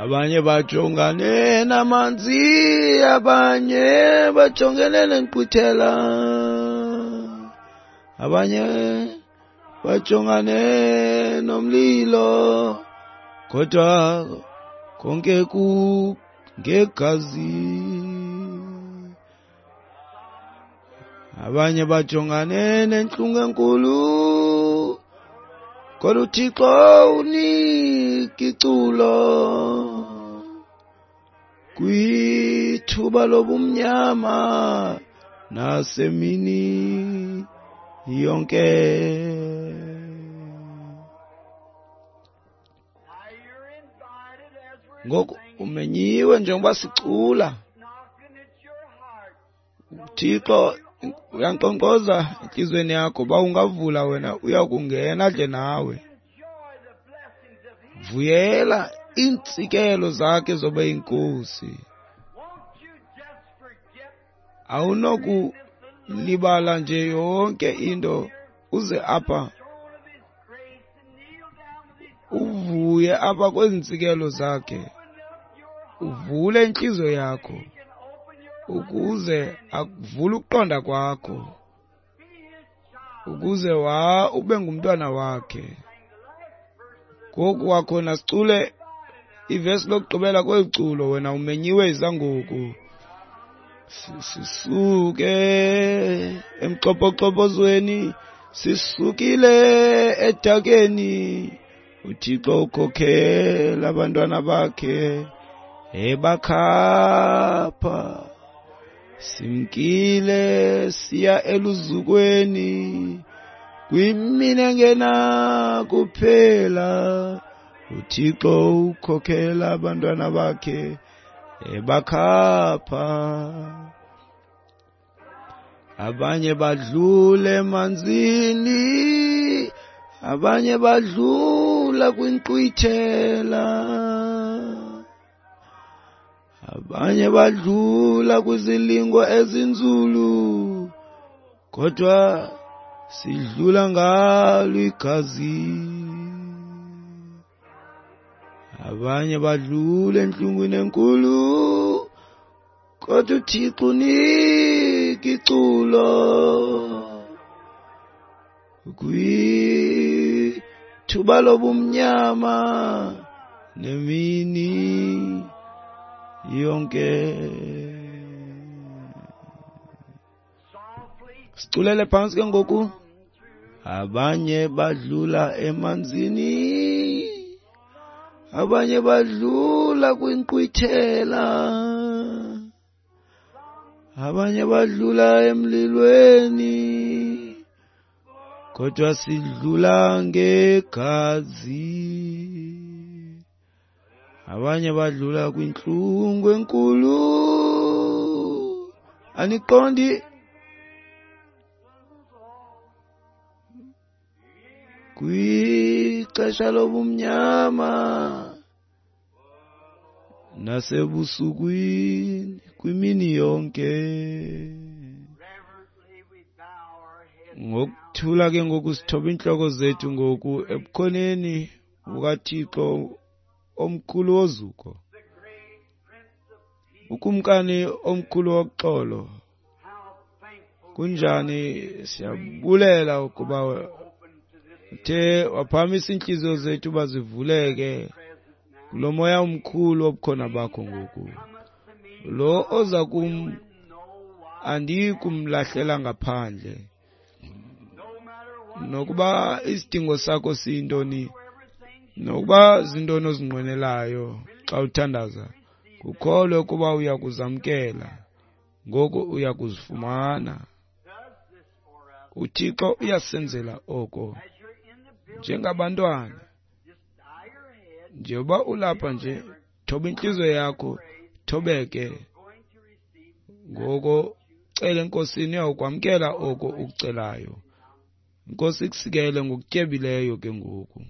Abanye bajongane namanzi, abanye bajongene nenkqwithela, abanye bajongane nomlilo, kodwa konke kungegazi. Abanye bajongane nentlungu enkulu, kodwa uThixo unika iculo. Kwithuba lobumnyama nasemini yonke. Ngoku umenyiwe njengoba sicula. uThixo uyankqonkqoza entliziyweni yakho, uba ungavula wena uyakungena adle nawe. Vuyela iintsikelo zakhe zoba yinkosi. Awunokulibala nje yonke into uze apha uvuye apha kwezi ntsikelo zakhe, uvule intliziyo yakho ukuze akuvule ukuqonda kwakho, ukuze ube ngumntwana wakhe. Ngoku kwakhona sicule ivesi lokugqibela kweli culo, wena umenyiwe izangoku. Sisuke emxopoxopozweni, sisukile edakeni, uThixo ukhokhela abantwana bakhe ebakhapha. Simkile siya eluzukweni, kwimini engena kuphela, uThixo ukhokhela abantwana bakhe ebakhapha. Abanye badlule emanzini, abanye badlula kwinkqwithela, abanye badlula kwizilingo ezinzulu, kodwa sidlula ngalo igazi. Abanye badlula entlungwini enkulu, kodwa uThixo unika iculo. Kwithuba lobumnyama nemini yonke. Siculele phantsi ke ngoku. Abanye badlula emanzini, abanye badlula kwinkqwithela, abanye badlula emlilweni, kodwa sidlula ngegazi. Abanye badlula kwintlungu enkulu, Aniqondi? Kwixesha lobumnyama nasebusukwini kwimini yonke. Ngokuthula ke ngoku sithoba iintloko zethu ngoku ebukhoneni bukaThixo omkhulu wozuko, ukumkani omkhulu woxolo. Kunjani siyabulela ukuba uthe waphakamisa iintliziyo zethu bazivuleke kulo moya omkhulu wobukhona bakho ngoku. Lo oza kum andiyi kumlahlela ngaphandle. Nokuba isidingo sakho siyintoni, nokuba zintoni ozinqwenelayo xa uthandaza, kukholwe ukuba uya kuzamkela, ngoku uya kuzifumana. UThixo uyasenzela oko njengabantwana. Njengoba ulapha nje, thoba intliziyo yakho, thobeke. Ngoko cela eNkosini, uyawukwamkela oko ukucelayo. Inkosi ikusikele ngokutyebileyo ke ngoku.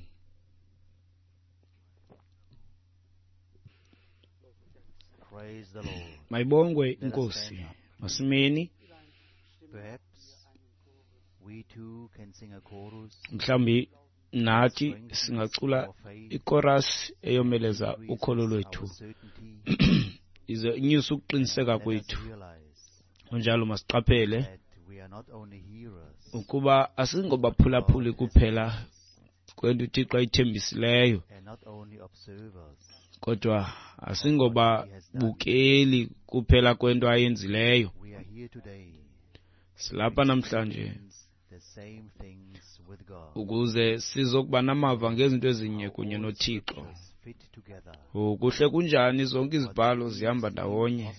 Praise the Lord. Mayibongwe inkosi. Masimeni. Perhaps we too can sing a chorus. Mhlawumbi nathi singacula ikorasi eyomeleza ukholo lwethu, ize inyuse ukuqiniseka kwethu. Kunjalo masiqaphele ukuba asingobaphulaphuli kuphela kwento uThixo ayithembisileyo, kodwa asingobabukeli kuphela kwento ayenzileyo. Silapha namhlanje ukuze sizokuba namava ngezinto ezinye kunye noThixo. Kuhle kunjani zonke izibhalo zihamba ndawonye,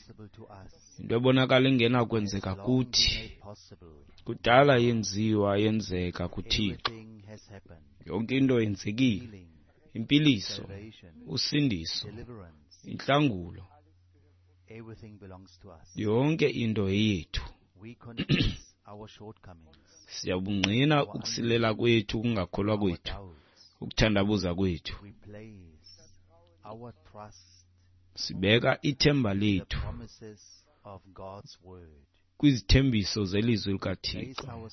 into ebonakala ingenakwenzeka kuthi kudala yenziwa yenzeka kuThixo. Yonke into yenzekile, impiliso, usindiso, intlangulo, yonke into yethu. Siyabungqina ukusilela kwethu, ukungakholwa kwethu, ukuthandabuza kwethu. Sibeka ithemba lethu kwizithembiso zelizwi likaThixo.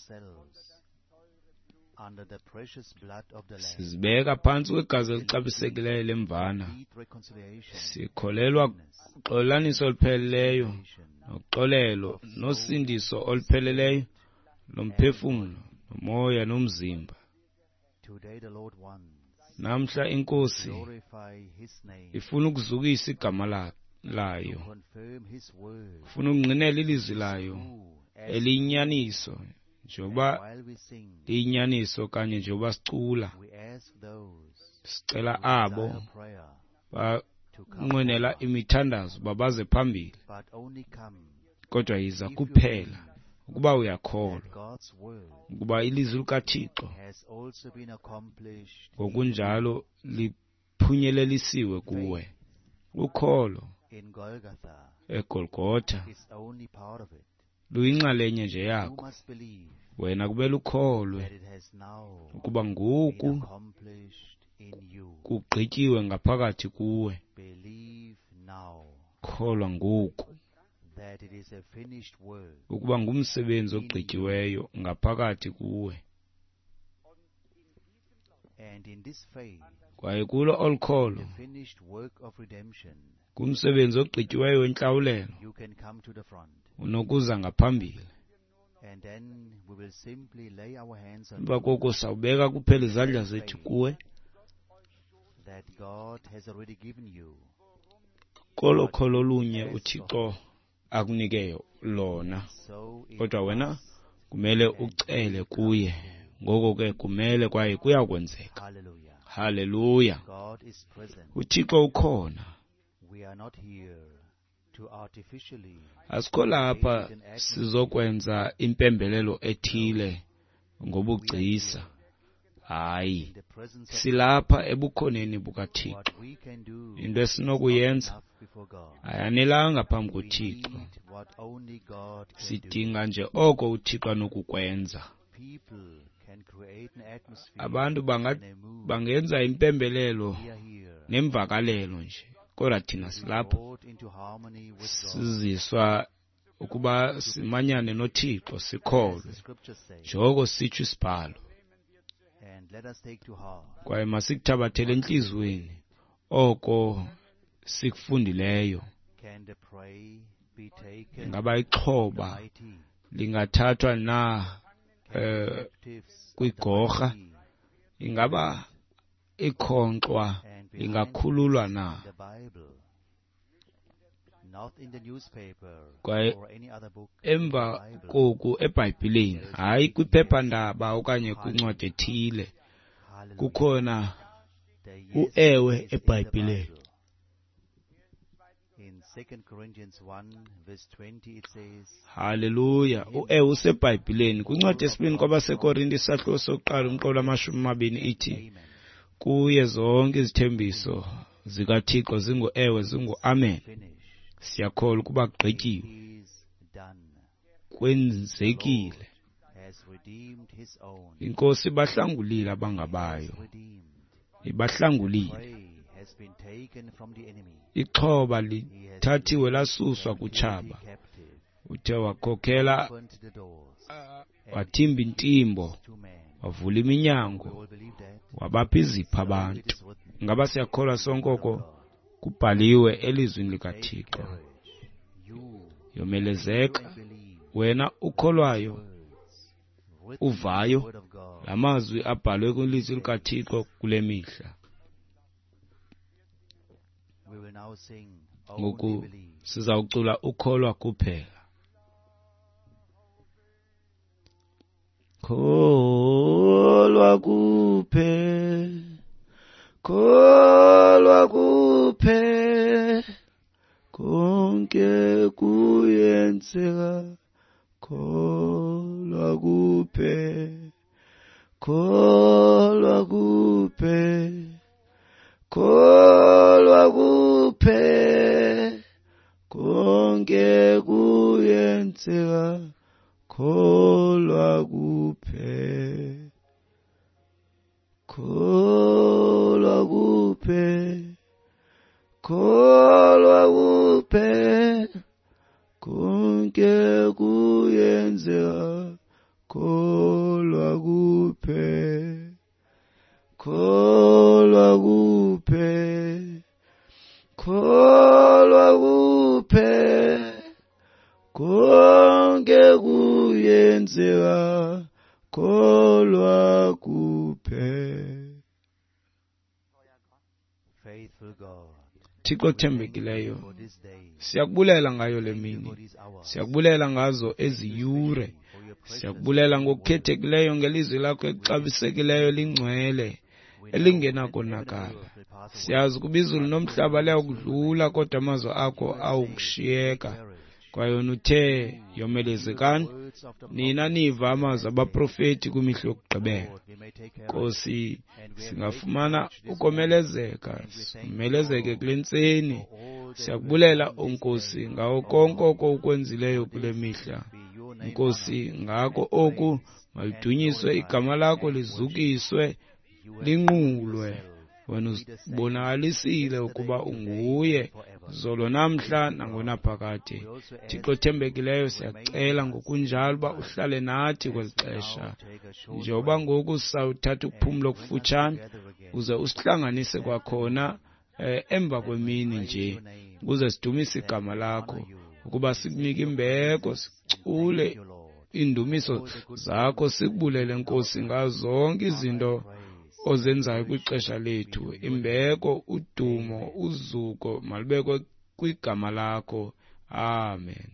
Sizibeka phantsi kwegazi elixabisekileyo lemvana. Sikholelwa kuxolelaniso olupheleleyo noxolelo nosindiso olupheleleyo lomphefumlo, nomoya nomzimba. Namhla inkosi ifuna ukuzukisa igama layo, ifuna ukungqinela ilizwi layo eliyinyaniso, njengoba liyinyaniso kanye njengoba sicula. Sicela abo banqwenela imithandazo babaze phambili, kodwa yiza kuphela ukuba uyakholwa ukuba ilizwi likaThixo ngokunjalo liphunyelelisiwe kuwe. Ukholo eGolgotha luyinxalenye nje yakho. Wena kumele ukholwe ukuba ngoku kugqityiwe ngaphakathi kuwe. Kholwa ngoku ukuba ngumsebenzi ogqityiweyo ngaphakathi kuwe. Kwaye kulo olu kholo, ngumsebenzi ogqityiweyo wentlawulelo, unokuza ngaphambili. Emva koko sawubeka kuphela izandla zethu kuwe. Kolo kholo lunye uThixo akunike lona, kodwa wena kumele ucele kuye. Ngoko ke kumele kwaye kuyakwenzeka. Haleluya. uThixo ukhona. Asikho lapha sizokwenza impembelelo ethile ngobugcisa. Hayi, silapha ebukhoneni bukaThixo. Into esinokuyenza ayanelanga phambi koThixo. Sidinga nje oko uThixo anokukwenza. Abantu bangenza impembelelo nemvakalelo nje, kodwa thina silapha siziswa ukuba simanyane noThixo, sikholwe njengoko sitsho isibhalo. Kwaye masikuthabathele entliziyweni oko sikufundileyo. Ingaba ixhoba lingathathwa na kwigorha? Ingaba ikhonkxwa lingakhululwa na? Kwaye emva koku eBhayibhileni, hayi kwiphephandaba okanye kwincwadi ethile, kukhona uewe eBhayibhileni. Haleluya! Uewe useBhayibhileni. Kwincwadi yesibini kwabaseKorinte isahluko sokuqala umqolo 20 ithi, kuye zonke izithembiso zikaThixo zingu-ewe, zingu-amen. Siyakholwa ukuba kugqityiwe, kwenzekile. INkosi ibahlangulile abangabayo, ibahlangulile. Ixhoba lithathiwe lasuswa kutshaba. Uthe wakhokhela, wathimba intimbo, wavula iminyango, wabapha izipho abantu. Ngaba siyakholwa sonke oko kubhaliwe elizwini likaThixo? Yomelezeka wena ukholwayo, uvayo la mazwi abhalwe kwilizwi likaThixo kule mihla. Ngoku sizawucula ukholwa kuphela. Kholwa kuphela, kholwa kuphela, konke kuyenzeka. Kholwa kuphela, kholwa kuphela, kholwa kuphela, konke kuyenzeka. Kholwa kuphela, kholwa kuphela, kholwa kuphela, konke kuyenzeka. Kholwa kuphela, kholwa kuphela, kholwa kuphela, konke kuyenzeka. Kholwa kuphela. Thixo othembekileyo, siyakubulela ngayo le mini, siyakubulela ngazo ezi yure, siyakubulela ngokukhethekileyo ngelizwi lakho elixabisekileyo lingcwele elingenakonakala. Siyazi ukuba izulu nomhlaba liyakudlula, kodwa amazwi akho awukushiyeka. Kwaye wena uthe, yomelezekani nina niva amazwi abaprofeti kwimihla yokugqibela. Nkosi, singafumana ukomelezeka, simelezeke kule ntseni. Siyakubulela, Nkosi, ngawo konke oko ukwenzileyo kule mihla. Nkosi, ngako oku malidunyiswe igama lakho, lizukiswe, linqulwe. Wena uzibonakalisile ukuba unguye zolo namhla nangonaphakade. Thixo othembekileyo, siyacela ngokunjalo uba uhlale nathi kweli xesha. Njengoba ngoku sawuthatha ukuphumla okufutshane, uze usihlanganise kwakhona emva kwemini nje, ukuze sidumise igama lakho, ukuba sikunike imbeko, sicule iindumiso zakho, sikubulele Nkosi ngazo zonke izinto ozenzayo kwixesha lethu. Imbeko, udumo, uzuko malubekwe kwigama lakho. Amen.